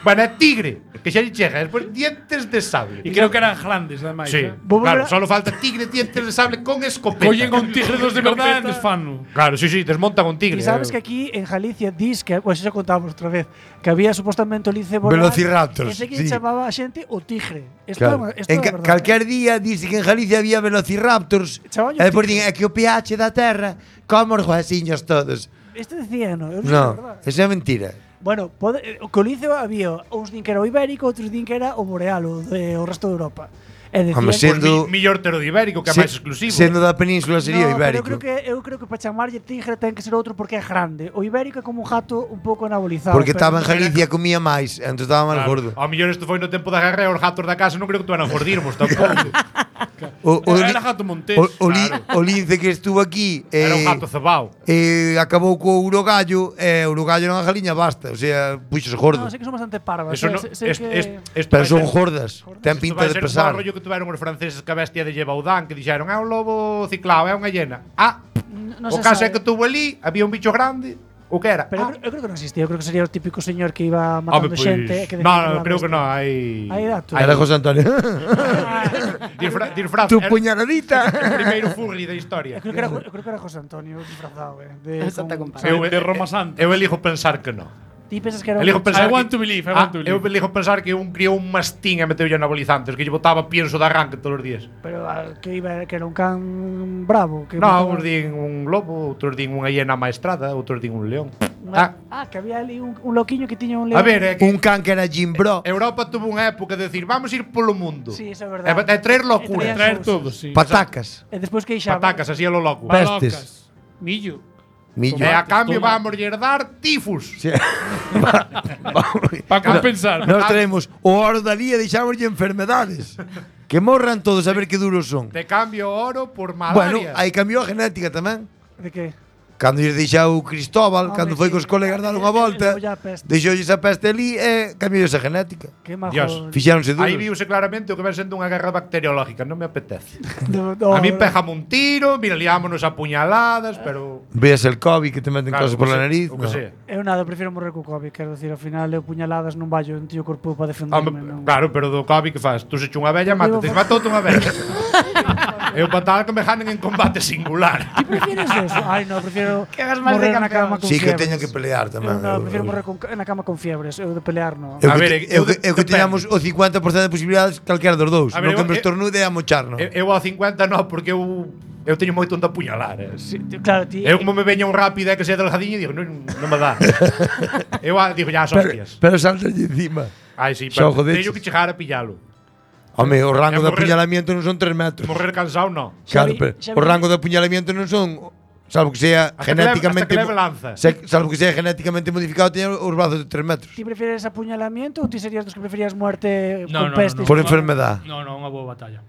Bueno, é tigre, que xa lle chega, despois dientes de sable. Y creo que eran grandes, además. Sí, claro, solo falta tigre, dientes de sable con escopeta. Oyen con tigres de verdad en desfano. Claro, sí, desmontan un tigre. Y sabes que aquí en Galicia dis que, pues eso contamos otra vez, que había supuestamente o lince voraz, Velociraptors, ese que sí. chamaba a xente o tigre. Claro. Esto é verdade. Calquer día dice que en Galicia había velociraptors. Chamaban E depois tigre. din, é que o pH da Terra como os huesiños todos. Este decía, no, eu non sei, No, verdade. esa é mentira. Bueno, o que o lince había uns din que era o ibérico, outros din que era o boreal, o resto de Europa. E decían, Home, sendo- Millor ter o de ibérico, que é máis exclusivo. Sendo da península sería o ibérico. Pero eu creo que para chamarlle tigre ten que ser outro porque é grande. O ibérico é como un gato un pouco anabolizado. Porque pero- estaba en Galicia comía máis, entón estaba máis gordo. Ao mellor isto foi no tempo da guerra e os gatos da casa non creo que tuveran gordirmos tampouco. Era gato montés. O lince que estuvo aquí Era un gato cebao. acabou co urogallo e o urogallo non a galiña basta, o sea, puxose gordo. No, sei que son bastante parvas. Eso no, sei que esto Pero vai son ser- gordas, ten Isto pinta vai de ser pesar. como o rollo que tuveron os franceses que a bestia de Llevaudán, que dixeron, é un lobo ciclado, é unha hiena. Ah, non o se caso é sabe. que tuvo ali, había un bicho grande, o que era? Pero eu creo que non existía, eu creo que sería o típico señor que iba Home, matando pois, xente e que no, creo que non, hai Hai datos. Era José Antonio. disfraz. Tu era puñaladita. o primeiro furri da historia. Eu creo que era José Antonio disfrazado, Santa Compadre. De Roma Santa. Eu elijo pensar que non. Ti pensas que era Elijo pensar I want que- to believe, I want to believe. Eu elijo pensar que un criou un mastín e meteu anabolizantes, que lle botaba pienso de arranque todos os días. Pero que iba que era un can bravo, que No, mataba- uns din un lobo, outros din unha hiena maestrada, outros din un león. Que había ali un loquiño que tiña un A león. ver, é que Un can que era Jim Bro. Europa tuvo unha época de decir, vamos ir polo mundo. Sí, eso é verdade. É traer locura. Traían Traer todo, sí. Patacas. E despois queixaban. Patacas, así a lo loco. Pestes. Millo. Millo. E a cambio vamos dar tifus. Sí. Para compensar. Nós traemos o oro da lía e deixámoslle enfermedades. Que morran todos a ver que duros son. Te cambio oro por Bueno, malaria. aí cambiou a genética tamén. De que? Cando lle deixou Cristóbal, Home, cando foi sí. cos colegas dar unha volta, Levou ya a peste. deixoulles a peste ali e cambiou esa genética. Que majo. Dios. Fixáronse Aí duros. viuse claramente o que ven sendo unha guerra bacteriológica, non me apetece. No, A mí pégame un tiro, mira, liámonos a puñaladas, pero Veas el COVID que te meten cosas por la nariz. o que no. sea. Eu nada, prefiro morrer co COVID, quero dicir, ao final eu puñaladas non vallo un tío corpo para defenderme, non. Claro, pero do COVID que faz? Tú se echa unha vella, mátate, matoute unha vella. Eu para tal que me janen en combate singular. Ti prefieres eso? Ai, no, prefiero Que hagas máis de morrer na cama campeón. con Sí que fiebres. teñan que pelear tamén. No, prefiro morrer na cama con fiebres, eu de pelear no. Eu A que, ver, eu que depende. teñamos o 50% de posibilidades calquera dos dous. A ver, Non que eu- me estornude e a mocharno. Eu ao 50 no, porque eu teño moito onde apuñalar. Sí, claro, ti. Eu como me veña un rápido e que sea delgadiño, digo, non me dá. Eu digo, ya, as hostias. Pero saltalle encima. Ai, sí, Xa pero o jodeches. teño que chegar a pillalo. Home, o rango de morrer- apuñalamiento non son 3 metros. Morrer cansado, no. Claro, Xavi- pero Xavi- o rango de apuñalamiento non son, salvo que sea Hasta genéticamente que leve lanza. salvo que sea genéticamente modificado, teña os brazos de 3 metros. Ti prefieres apuñalamiento ou ti serías dos que preferías muerte No, con no, peste? Por enfermedad. No, unha boa batalla.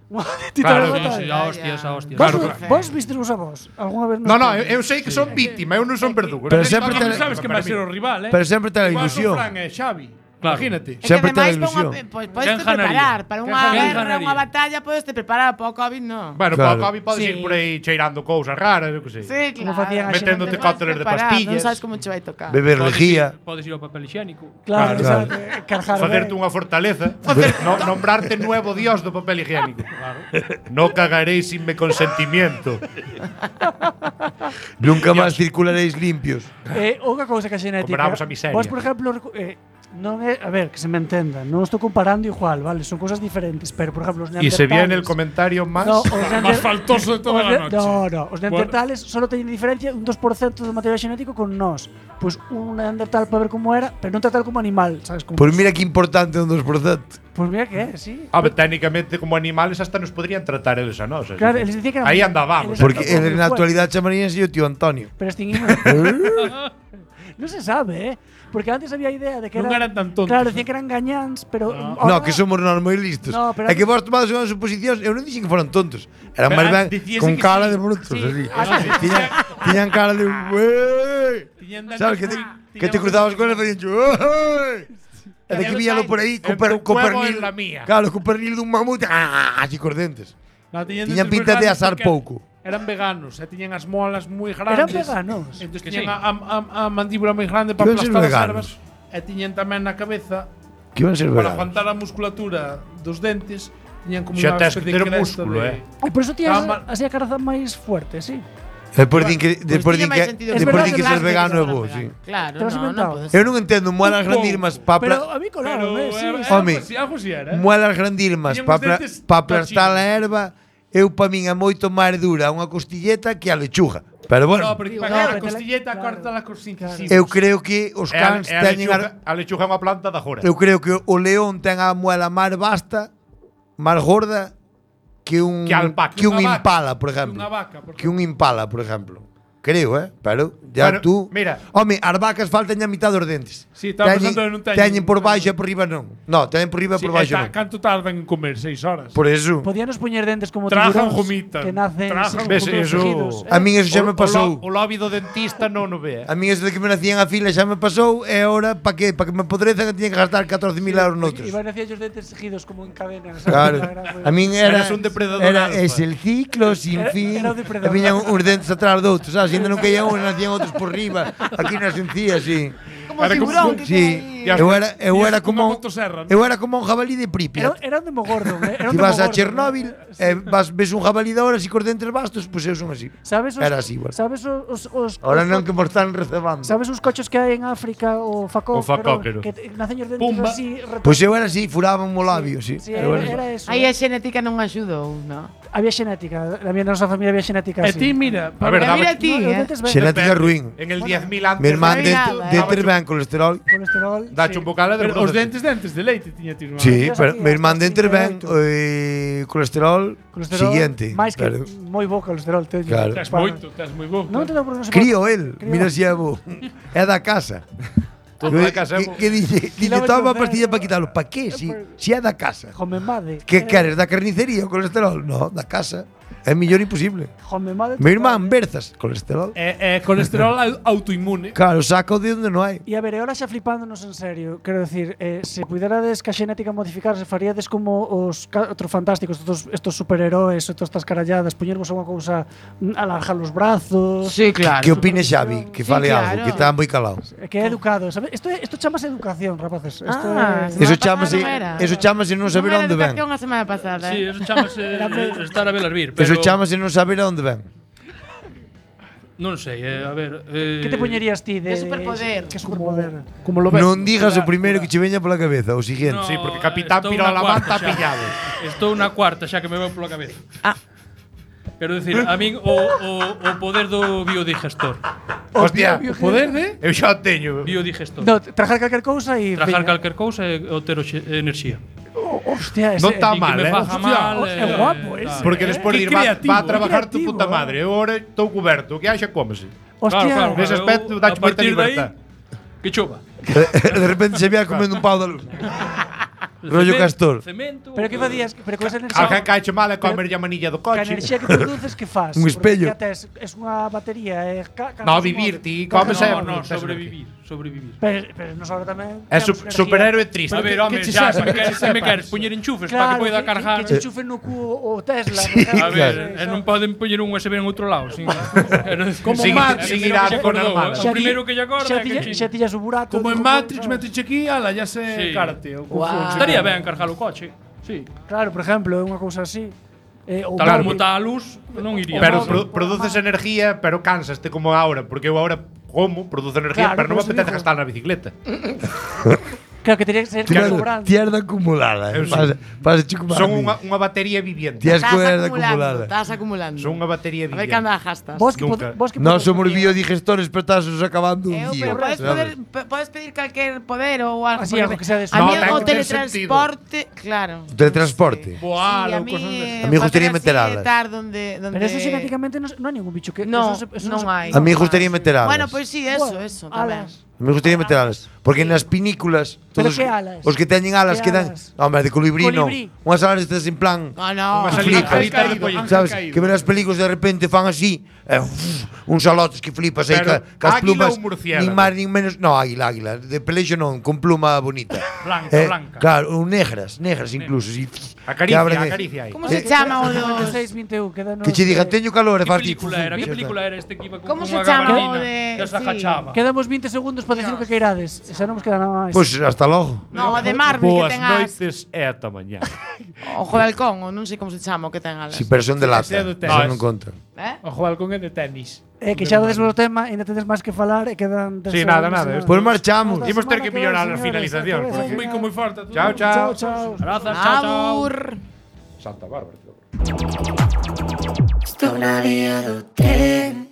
Ti Claro, te vas a Sí, matar. a hostias, a hostias. Vos, Claro, claro. vos vistes a vos? Alguna vez No, eu sei que son víctima, eu non son verdugo. Pero Non sempre sei- te- Sabes que vai ser o rival, Pero sempre ten a Igual ilusión. son Fran e Xavi. Claro. Imagínate. É que Sempre ten a ademais ilusión. podes Quen te ganaría? preparar para Quen unha ganaría? guerra, unha batalla, podes te preparar para o COVID, no. Bueno, Claro. para o COVID podes Sí. ir por aí cheirando cousas raras, eu que sei. Sí, Como claro. facían a Meténdote xente. cócteles de pastillas. Non sabes como che vai tocar. Beber lejía. Podes ir ao papel higiénico. Claro, Claro. exacto. Cargar Facerte ben. unha fortaleza. Nombrarte nuevo dios do papel higiénico. No cagaréis sin mi consentimiento. Nunca máis circularéis limpios. Unha cousa que a xenética. Comparamos a miseria. Vos, por exemplo, non é, a ver, que se me entenda, non estou comparando igual, vale, son cousas diferentes, pero por exemplo, os Y se viene el neandertales- comentario más. No, os Más faltoso de toda os la noche. No, os neandertales solo teñen diferencia un 2% do material xenético con nós. Pois un neandertal para ver como era, pero non tratar como animal, sabes como? Pois mira que importante un 2%. Pois mira que é, sí. A ver, técnicamente como animales hasta nos podrían tratar eles a nós. Claro, eles dicían que eran Aí andábamos. eles- Porque Porque en na actualidade chamaríanse o tío Antonio. Pero extinguimos. Non se sabe, Porque antes había a idea de que Non eran tan tontos. Claro, decían que eran gañáns, pero No, que somos nós moi listos. No, pero é que vos tomades unhas suposicións, eu non dixen que foran tontos. Eran Pero máis ben dicíase con que cara sí. de brutos, Sí. así. Tiñan cara de "Ué". Tiñan Sabes que te cruzabas con él e facían "Ué". E de que víalo por aí En tu co juego pernil. en la mía. Claro, co pernil dun mamut, así cos dentes. No, Tiñan dientes pinta moi de grandes asar porque pouco. Eran veganos, tiñan as molas moi Eran grandes. veganos. Entón Que tiñan sí. a mandíbula moi grande para Que iban ser aplastar as veganos. ervas. E tiñan tamén na cabeza Que iban a ser para veganos. aguantar a musculatura dos dentes. Tiñan como Xa unha tes especie que ter de cresta músculo, de- E por eso tías Estaban mal- así a caraza máis fuerte, sí. Despois din que despois din tiña máis que sentido despois verdade din que que ser Claro, vegano é que bo, fuera sí. vegano. Claro, Te lo has no, inventado. non podes. Eu non entendo muelas Un grandirmas pouco. para Pero a mí colaron, sí. Home, algo así era. muelas grandirmas Tiñan para uns dentes aplastar a tachinos. erva, eu pa min é moito máis dura unha costilleta que a lechuga. Pero bueno, No, porque Digo, para no, a pero costilleta claro. corta la costilleta. eu creo que os cans teñen a lechuga é unha planta da jora. eu creo que o león ten a muela máis vasta, máis gorda que un Que a alpaca. que un Unha vaca. impala, por exemplo. Unha vaca, por Que un impala, por exemplo. Creo, pero ya Bueno, tú. mira. Home, as vacas faltan a mitad dos dentes. Sí, estaba pensando en non teñen por baixo e por riba non. No, teñen por riba e por baixo non. Canto tardan en comer? 6 horas. Por eso. Podíanos poñer dentes como Trajan tiburóns gomitas. que nacen Trajan sin Ves, futuros eso- tejidos. A min eso xa me pasou. O lobby do dentista non o ve. A min eso de que me nacían a fila xa me pasou e agora pa que me podrezan tiñen que gastar 14.000 euros noutros. Iban hacia ellos dentes tejidos como en cadenas. Claro. A min era Eras un depredador era alfa. es el ciclo sin Era- fin. era o depredador. E viñan uns dentes atrás de outros, sabes? Ainda non caía un, nacían outros por riba. Aquí nas encías, sí. Como tiburón que Sí. ten aí Eu era como Unha motosserra, ¿no? eu era como un jabalí de Pripyat. Era un Demogorgon, era un Si vas a Demogorgon. Chernóbil, ves un jabalí de ahora así cos dentes bastos, pois eu son así. Sabes Era así, igual. Sabes os Ahora non que me están recebando. Sabes os cochos que hai en África, o facóquero, que nacen os dentes Pumba. así. Pois eu era así, furaba o labio, sí. Sí, Eu era así. era eso. Aí a xenética non axudou, non? Había xenética, na miña nosa familia había xenética E así. ti, mira, A ver, Mira ti, Xenética ruín. En el 10.000 antes. Mi irmán Nada, dentes ben colesterol. colesterol. Dache un bocado de pero os produces. dentes de leite tiña ti, irmán. Sí, Tías pero aquí, mi irmán hasta dentes ben 38. colesterol siguiente. máis que Pero- moi bo colesterol teño. Claro. Tes moito, tes moi bo. Non te dou por non se Crío el, Crío. mira si é bo. É da casa. Todo da casa é bo. Que dice, Kilómetros toma de- pastilla para quitalo. Pa qué? Si é da casa. Jomemade. Que queres, da carnicería o colesterol? No, da casa. É mellor imposible. Jomemade. Mi irmán, Berzas, colesterol. Colesterol autoinmune. Claro, saco de onde non hai. E a ver, e ahora xa flipándonos en serio, quero decir, se puderades que a xenética modificarse, faríades como os outros fantásticos, estos superheróis, todas estas caralladas, poñervos a unha cousa, alargar os brazos, Sí, claro. Que opine Xavi, que Sí, fale claro. algo, que está moi calado. que é educado, sabes? Isto chamase educación, rapaces. Isto Ah, é Eso semana chamase, pasada non era. eso chamase non saber Non era onde ven. educación a semana pasada. Sí, eso chamase estar a velas vir, pero Eso chamase non saber a onde ven. non sei, a ver, que te poñerías ti de De superpoder. Que superpoder? Como lo ves. Non digas o primeiro que che veña pola cabeza, o siguiente. Sí, porque Capitán estou Pirola na Manta cuarta xa. pillado. Estou na cuarta xa que me veo pola cabeza. Ah. Quero dicir, a min o poder do biodigestor. Hostia, O poder de eu xa o teño. Biodigestor. No, trajar calquer cousa e Trajar calquer cousa e obter enerxía. Hostia, ese Non está Sin que mal, me faja mal. é guapo ese. tal. Porque despois Qué de ir va creativo, a trabajar tu creativo, puta madre. Eu ahora estou cuberto, o que haxa cómese. Hostia, Claro, Nese aspecto eu, dache a moita partir de aí, libertad. que chova. De repente se vea comendo un pau da luz. Rollo castor. Cemento. Pero que facías? Pero con esa enerxía Alguén caeche mal e comer a manilla do ca coche. enerxía que produces que faz? Un espello. Porque tes, es unha batería, No, vivir, ti comes e No, sobrevivir. Pero nos sobra tamén. É temos enerxía. superhéroe triste. A ver, home, xa, se me queres poñer enchufes para que poida cargar. Que che enchufen no cu o Tesla. A ver, non poden poñer un USB en outro lado, sin. Como Sin- Matrix, sin ir a con hermano. O primeiro que lle acorda é que xa tillas o burato. como en Matrix, metes aquí, ala, ya se Sí. cárate. O estaría ben cargar o coche. Sí. Claro, por exemplo, é unha cousa así. O Tal móvil. como está a luz, non iría. Pero mal. produces energía, pero cansaste como ahora, porque eu ahora como, produzo energía, Claro, pero non me por eso apetece digo. gastar na bicicleta. Claro, que tería que ser sobrante. Tierda acumulada. Eu sí. Pasa chico Son unha batería viviente. Tía Estás escuela acumulando, acumulada. estás acumulando. Son unha batería A ver que viviente. anda gastas. Vos que Nunca. vos que Nós somos podedes- biodigestores, pero estás acabando un Eu, día. pero ¿sabes? podes pedir calquer poder ou algo. Así, porque algo que sea de a mí No, ten o que ter teletransporte, claro. Teletransporte. Voar Sí, a ou cosas mí, desas. A mí me gustaría facer meter así, alas. estar donde Pero eso xenéticamente non hai ningún bicho que No, eso non hai. A mí me gustaría meter alas. Bueno, pois sí, eso, Bueno, eso tamén. alas. Me gustaría meter alas. Porque nas pinículas Pero todos que alas? os que teñen alas Que que dan, alas? hombre, de colibrí non. Colibrí. Unhas alas estas en plan No, no. Unha que salita, flipas, salita de pollo. sabes? Que ver as películas de repente fan así, uns salotes que flipas aí Pero, cas águila plumas, ou murciélago? nin máis nin menos, no, águila, de pelexo non, con pluma bonita. Blanca. Claro, ou negras incluso, así. Acaricia, que abren- acaricia aí. Como se chama o dos 96, 21, quedanos. Que che digan, teño calor e Que fas ti. película era? Que película era este que iba con Como unha se chama o gabardina de- que se sí. agachaba? Quedamos 20 segundos para decir o que queirades. Xa non nos queda nada máis. Pois hasta logo. No, o de Marvel Boas que ten as noites e ata mañá. Ojo de halcón, ou non sei como se chama o que ten alas. Si persona de lata, Ese é do eso tenis. non conta. Ojo balcón é de tenis. Que xa dades o tema, ainda tedes máis que falar e quedan 10 Sí, nada, segundos, nada, señores. Pois marchamos. Hasta Imos ter semana que ven, mellorar a señores, finalización, hasta porque- luego. Muy forte. Chao, chao. Chao. Grazas, chao, chao. Abur. Santa Bárbara. Sto una via do tren